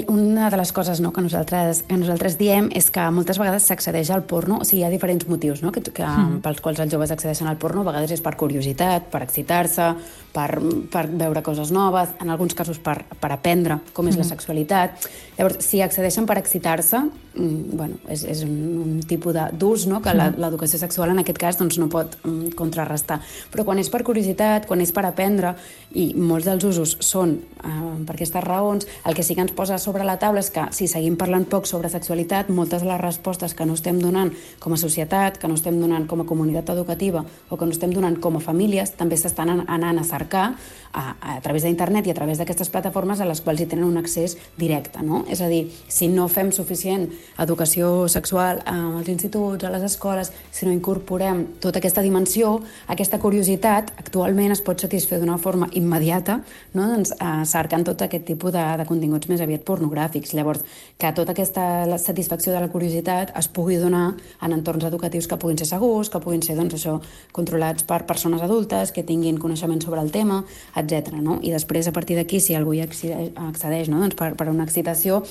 Una de les coses, no, que nosaltres diem és que moltes vegades s'accedeix al porno, o sigui, hi ha diferents motius, no, pels quals els joves accedeixen al porno. A vegades és per curiositat, per excitar-se, per veure coses noves, en alguns casos per aprendre com és la sexualitat. Llavors, si accedeixen per excitar-se, bueno, és un tipus d'ús, no, que l'educació sexual en aquest cas doncs, no pot contrarrestar. Però quan és per curiositat, quan és per aprendre, i molts dels usos són per aquestes raons, el que sí que ens posa sobre la taula és que si seguim parlant poc sobre sexualitat, moltes de les respostes que no estem donant com a societat, que no estem donant com a comunitat educativa o que no estem donant com a famílies, també s'estan anant a cercar a través d'internet i a través d'aquestes plataformes a les quals hi tenen un accés directe, no? És a dir, si no fem suficient educació sexual als instituts, a les escoles, si no incorporem tota aquesta dimensió, aquesta curiositat actualment es pot satisfer d'una forma immediata, no? Doncs, cercant tot aquest tipus de continguts més aviat pornogràfics. Llavors, que tota aquesta satisfacció de la curiositat es pugui donar en entorns educatius que puguin ser segurs, que puguin ser doncs, això, controlats per persones adultes, que tinguin coneixement sobre el tema, etc. No? I després, a partir d'aquí, si algú hi accedeix, no? Doncs per una excitació,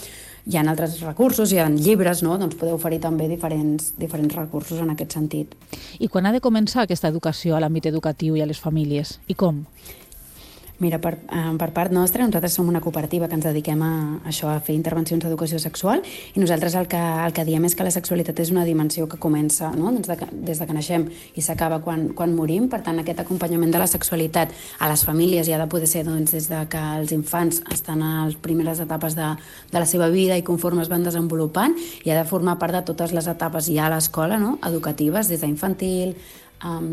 hi ha altres recursos, hi ha llibres, no? Doncs podeu oferir també diferents recursos en aquest sentit. I quan ha de començar aquesta educació a l'àmbit educatiu i a les famílies? I com? Mira, per part nostra, nosaltres som una cooperativa que ens dediquem a això, a fer intervencions d'educació sexual, i nosaltres el que diem és que la sexualitat és una dimensió que comença, no? des de que naixem i s'acaba quan morim. Per tant, aquest acompanyament de la sexualitat a les famílies hi ha de poder ser doncs, des de que els infants estan a les primeres etapes de la seva vida i conforme es van desenvolupant, i ha de formar part de totes les etapes ja a l'escola, no? Educatives, des d'infantil,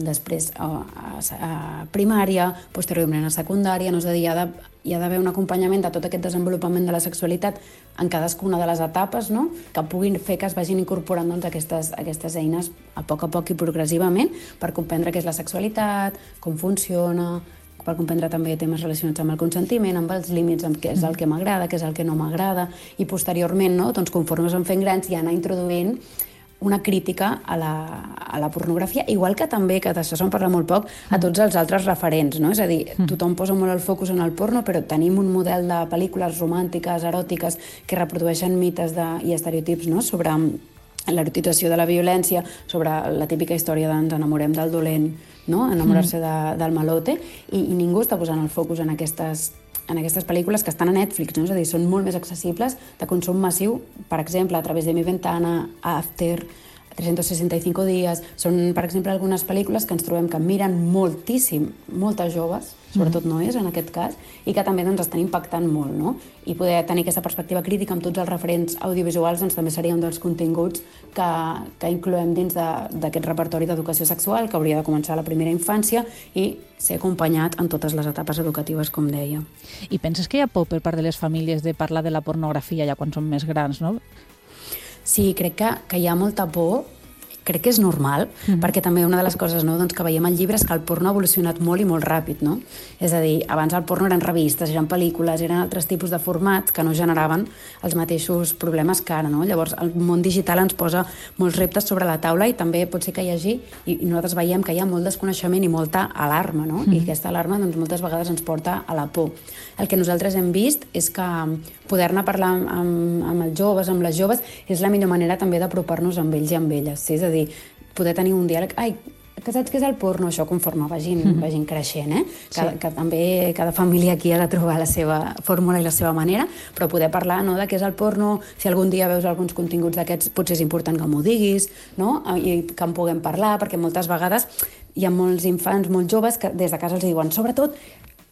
després a primària, posteriorment a secundària, no? És a dir, hi ha d'haver un acompanyament de tot aquest desenvolupament de la sexualitat en cadascuna de les etapes, no? Que puguin fer que es vagin incorporant doncs, aquestes eines a poc i progressivament per comprendre què és la sexualitat, com funciona, per comprendre també temes relacionats amb el consentiment, amb els límits, amb què és el que m'agrada, què és el que no m'agrada, i posteriorment, no? Doncs, conforme es van fent grans, ja anar introduint una crítica a la pornografia, igual que també, que d'això se'n parla molt poc, a tots els altres referents, no? És a dir, tothom posa molt el focus en el porno, però tenim un model de pel·lícules romàntiques, eròtiques, que reprodueixen mites i estereotips, no? Sobre l'erotització de la violència, sobre la típica història d'ens enamorem del dolent, no? Enamorar-se del malote, i ningú està posant el focus en aquestes pel·lícules que estan a Netflix, no? És a dir, són molt més accessibles, de consum massiu, per exemple, a través de Mi Ventana, After, 365 dies. Són, per exemple, algunes pel·lícules que ens trobem que miren moltíssim, moltes joves, sobretot noies en aquest cas, i que també doncs, estan impactant molt, no? I poder tenir aquesta perspectiva crítica amb tots els referents audiovisuals doncs, també seria un dels continguts que incloem dins d'aquest repertori d'educació sexual, que hauria de començar a la primera infància i ser acompanyat en totes les etapes educatives, com deia. I penses que hi ha por per part de les famílies de parlar de la pornografia ja quan són més grans, no? Sí, crec que hi ha molta por. Crec que és normal, perquè també una de les coses, no, doncs, que veiem al llibre és que el porno ha evolucionat molt i molt ràpid, no? És a dir, abans el porno eren revistes, eren pel·lícules, eren altres tipus de formats que no generaven els mateixos problemes que ara, no? Llavors, el món digital ens posa molts reptes sobre la taula i també pot ser que hi hagi, i nosaltres veiem que hi ha molt desconeixement i molta alarma, no? I aquesta alarma doncs, moltes vegades ens porta a la por. El que nosaltres hem vist és que poder-ne parlar amb els joves, amb les joves, és la millor manera també d'apropar-nos amb ells i amb elles. Sí? És a dir, poder tenir un diàleg, ai, que saps què és el porno? Això conforme vagin creixent, que també cada família aquí ha de trobar la seva fórmula i la seva manera, però poder parlar de què és el porno, si algun dia veus alguns continguts d'aquests, potser és important que m'ho diguis, no? I que en puguem parlar, perquè moltes vegades hi ha molts infants, molts joves, que des de casa els diuen, sobretot,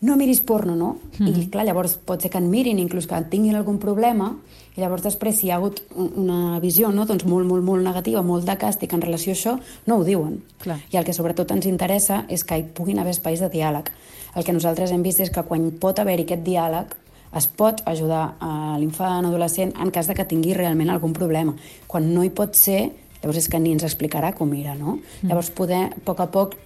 no miris porno, no? I clar, llavors pot ser que en mirin, inclús que tinguin algun problema, i llavors després si hi ha hagut una visió doncs molt negativa, molt de càstig en relació a això, no ho diuen. Clar. I el que sobretot ens interessa és que hi puguin haver espais de diàleg. El que nosaltres hem vist és que quan pot haver-hi aquest diàleg es pot ajudar a l'infant, adolescent, en cas de que tingui realment algun problema. Quan no hi pot ser, llavors és que ni ens explicarà com era, no? Llavors poder, a poc,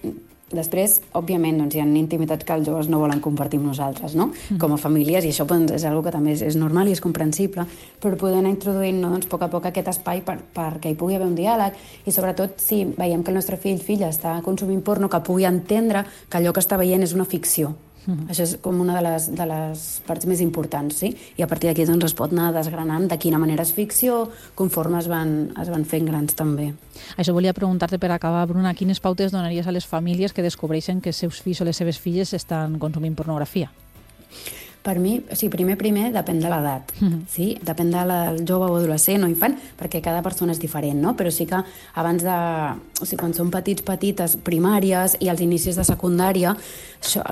després, òbviament, hi ha intimitats que els joves no volen compartir amb nosaltres, no? Com a famílies, i això és una que també és normal i és comprensible, però poder anar introduint a poc aquest espai perquè hi pugui haver un diàleg, i sobretot si veiem que el nostre filla està consumint porno, que pugui entendre que allò que està veient és una ficció. Això és com una de les parts més importants, sí? I a partir d'aquí es pot anar desgranant de quina manera és ficció, conforme es van fent grans també. Això volia preguntar-te per acabar, Bruna, quines pautes donaries a les famílies que descobreixen que els seus fills o les seves filles estan consumint pornografia? Per mi, o sigui, primer depèn de l'edat, sí? Depèn del jove o adolescent o infant, perquè cada persona és diferent, no? Però sí que abans de... O sigui, quan són petites, primàries i als inicis de secundària,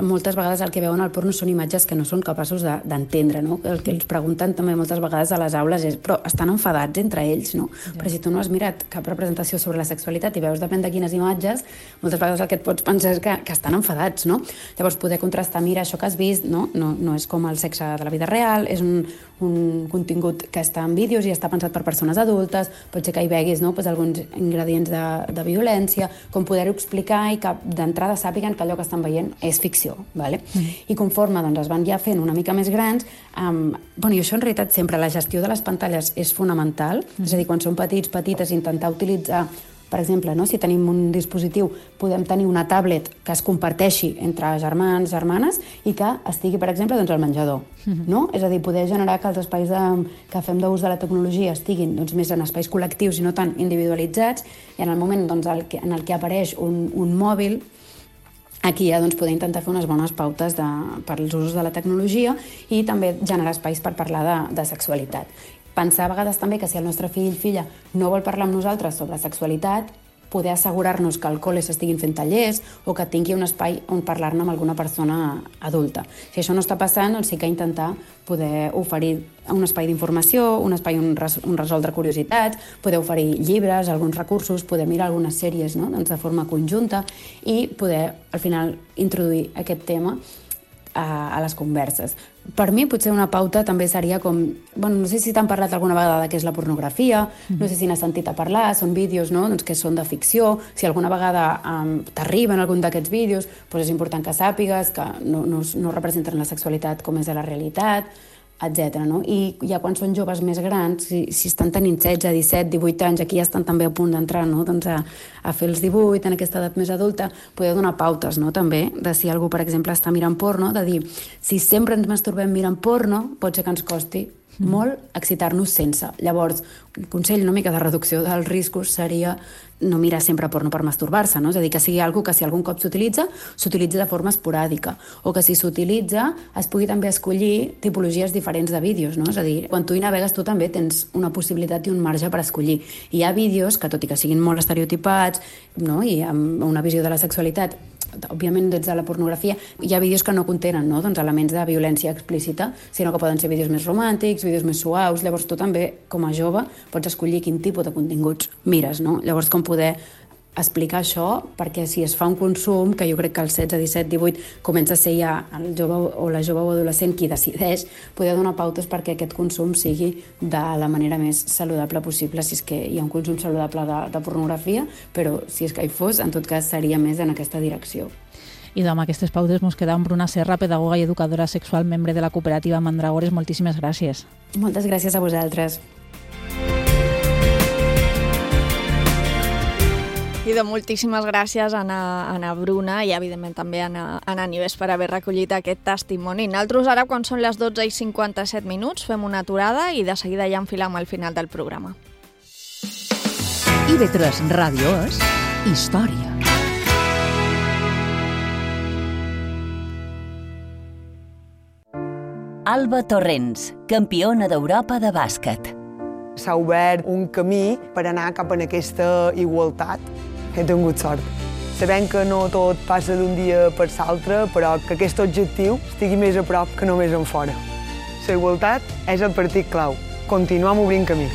moltes vegades el que veuen al porno són imatges que no són capaços d'entendre, no? El que els pregunten també moltes vegades a les aules és però estan enfadats entre ells, no? Però si tu no has mirat cap representació sobre la sexualitat i veus depèn de quines imatges, moltes vegades el que et pots pensar és que estan enfadats, no? Llavors poder contrastar, mira, això que has vist, no és com el sexe de la vida real, és un contingut que està en vídeos i està pensat per persones adultes, pot ser que hi veguis alguns ingredients de violència, com poder-ho explicar i que d'entrada sàpiguen que allò que estan veient és ficció, ¿vale? I conforme es van ja fent una mica més grans, i això en realitat sempre, la gestió de les pantalles és fonamental, és a dir, quan són petites, intentar utilitzar, per exemple, si tenim un dispositiu, podem tenir una tablet que es comparteixi entre germans, germanes, i que estigui, per exemple, al menjador. És a dir, poder generar que els espais que fem d'ús de la tecnologia estiguin més en espais col·lectius i no tan individualitzats, i en el moment en el que apareix un mòbil, aquí ja poder intentar fer unes bones pautes per als usos de la tecnologia i també generar espais per parlar de sexualitat. Pensar a vegades també que si el nostre fill o filla no vol parlar amb nosaltres sobre sexualitat, poder assegurar-nos que al col·le s'estiguin fent tallers o que tingui un espai on parlar-ne amb alguna persona adulta. Si això no està passant, doncs sí que intentar poder oferir un espai d'informació, un espai on resoldre curiositats, poder oferir llibres, alguns recursos, poder mirar algunes sèries de forma conjunta i poder, al final, introduir aquest tema a les converses. Per mi, potser una pauta també seria com... no sé si t'han parlat alguna vegada de què és la pornografia, no sé si n'has sentit a parlar, són vídeos que són de ficció, si alguna vegada t'arriben algun d'aquests vídeos, doncs és important que sàpigues que no representen la sexualitat com és a la realitat, etc. I ja quan són joves més grans, si estan tenint 16, 17, 18 anys, aquí ja estan també a punt d'entrar a fer els 18, en aquesta edat més adulta, poder donar pautes també, de si algú, per exemple, està mirant porno, de dir, si sempre ens masturbem mirant porno, pot ser que ens costi molt excitar-nos sense. Llavors, el consell una mica de reducció dels riscos seria no mirar sempre porno per masturbar-se, no? És a dir, que sigui algo que si algun cop s'utilitza de forma esporàdica, o que si s'utilitza es pugui també escollir tipologies diferents de vídeos, no? És a dir, quan tu hi navegues tu també tens una possibilitat i un marge per escollir. Hi ha vídeos que, tot i que siguin molt estereotipats, no? I amb una visió de la sexualitat, òbviament des de la pornografia, hi ha vídeos que no contenen elements de violència explícita, sinó que poden ser vídeos més romàntics, vídeos més suaus. Llavors tu també, com a jove, pots escollir quin tipus de continguts mires, no? Llavors com poder explicar això, perquè si es fa un consum, que jo crec que als 16, 17, 18 comença a ser ja el jove o la jove o adolescent qui decideix, poder donar pautes perquè aquest consum sigui de la manera més saludable possible, si és que hi ha un consum saludable de pornografia, però si és que hi fos, en tot cas seria més en aquesta direcció. I amb aquestes pautes ens queda amb Bruna Serra, pedagoga i educadora sexual, membre de la cooperativa Mandragores. Moltíssimes gràcies. Moltes gràcies a vosaltres. I moltíssimes gràcies a Anna Bruna i, evidentment, també a Anna Nives per haver recollit aquest testimoni. Nosaltres ara, quan són les 12:57, fem una aturada i de seguida ja enfilem al final del programa. IB3 Ràdio és història. Alba Torrents, campiona d'Europa de bàsquet. S'ha obert un camí per anar cap a aquesta igualtat. He tingut sort. Sabem que no tot passa d'un dia per l'altre, però que aquest objectiu estigui més a prop que només en fora. La igualtat és el partit clau. Continuem obrint camí.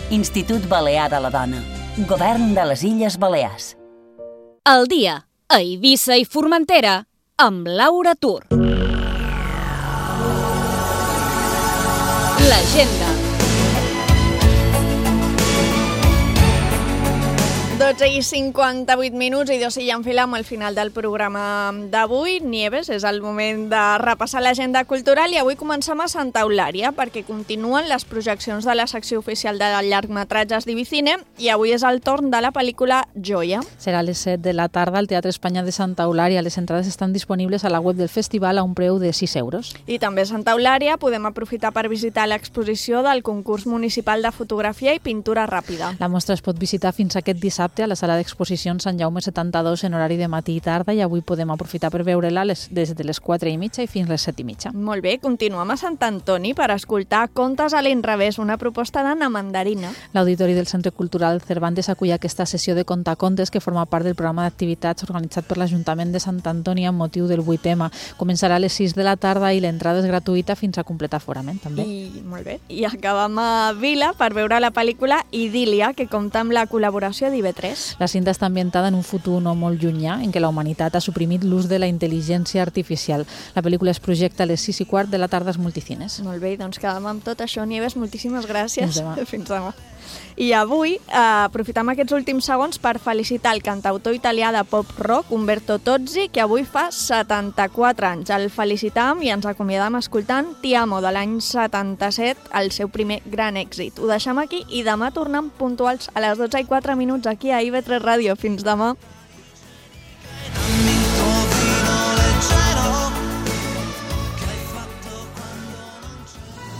Institut Balear de la Dona. Govern de les Illes Balears. El dia a Eivissa i Formentera amb Laura Tur. L'agenda. 12:58 i 2 ja enfilem al final del programa d'avui. Nieves, és el moment de repassar l'agenda cultural i avui comencem a Santa Eulària perquè continuen les projeccions de la secció oficial de llargmetratges d'Ibicine i avui és el torn de la pel·lícula Joia. Serà a les 7 de la tarda al Teatre Espanya de Santa Eulària. Les entrades estan disponibles a la web del festival a un preu de 6 euros. I també a Santa Eulària podem aprofitar per visitar l'exposició del concurs municipal de fotografia i pintura ràpida. La mostra es pot visitar fins aquest dissabte a la sala d'exposicions Sant Jaume 72 en horari de matí i tarda i avui podem aprofitar per veure-la des de les 4:30 i fins les 7:30. Molt bé, continuem a Sant Antoni per escoltar Contes a l'inrevés, una proposta d'Anna Mandarina. L'Auditori del Centre Cultural Cervantes acull aquesta sessió de contacontes que forma part del programa d'activitats organitzat per l'Ajuntament de Sant Antoni amb motiu del 8M. Començarà a les 6 de la tarda i l'entrada és gratuïta fins a completar aforament, també. Molt bé. I acabem a Vila per veure la pel·lícula Idília, que compta amb la col·laboració d'IV3. La cinta està ambientada en un futur no molt llunyà en què la humanitat ha suprimit l'ús de la intel·ligència artificial. La pel·lícula es projecta a les 6:15 de la tarda als multicines. Molt bé, doncs quedem amb tot això. Nieves, moltíssimes gràcies. Fins demà. Fins demà. I avui aprofitem aquests últims segons per felicitar el cantautor italià de pop-rock, Umberto Tozzi, que avui fa 74 anys. El felicitam i ens acomiadam escoltant Ti amo de l'any 77, el seu primer gran èxit. Ho deixem aquí i demà tornem puntuals a les 12:04 aquí a IB3 Ràdio. Fins demà.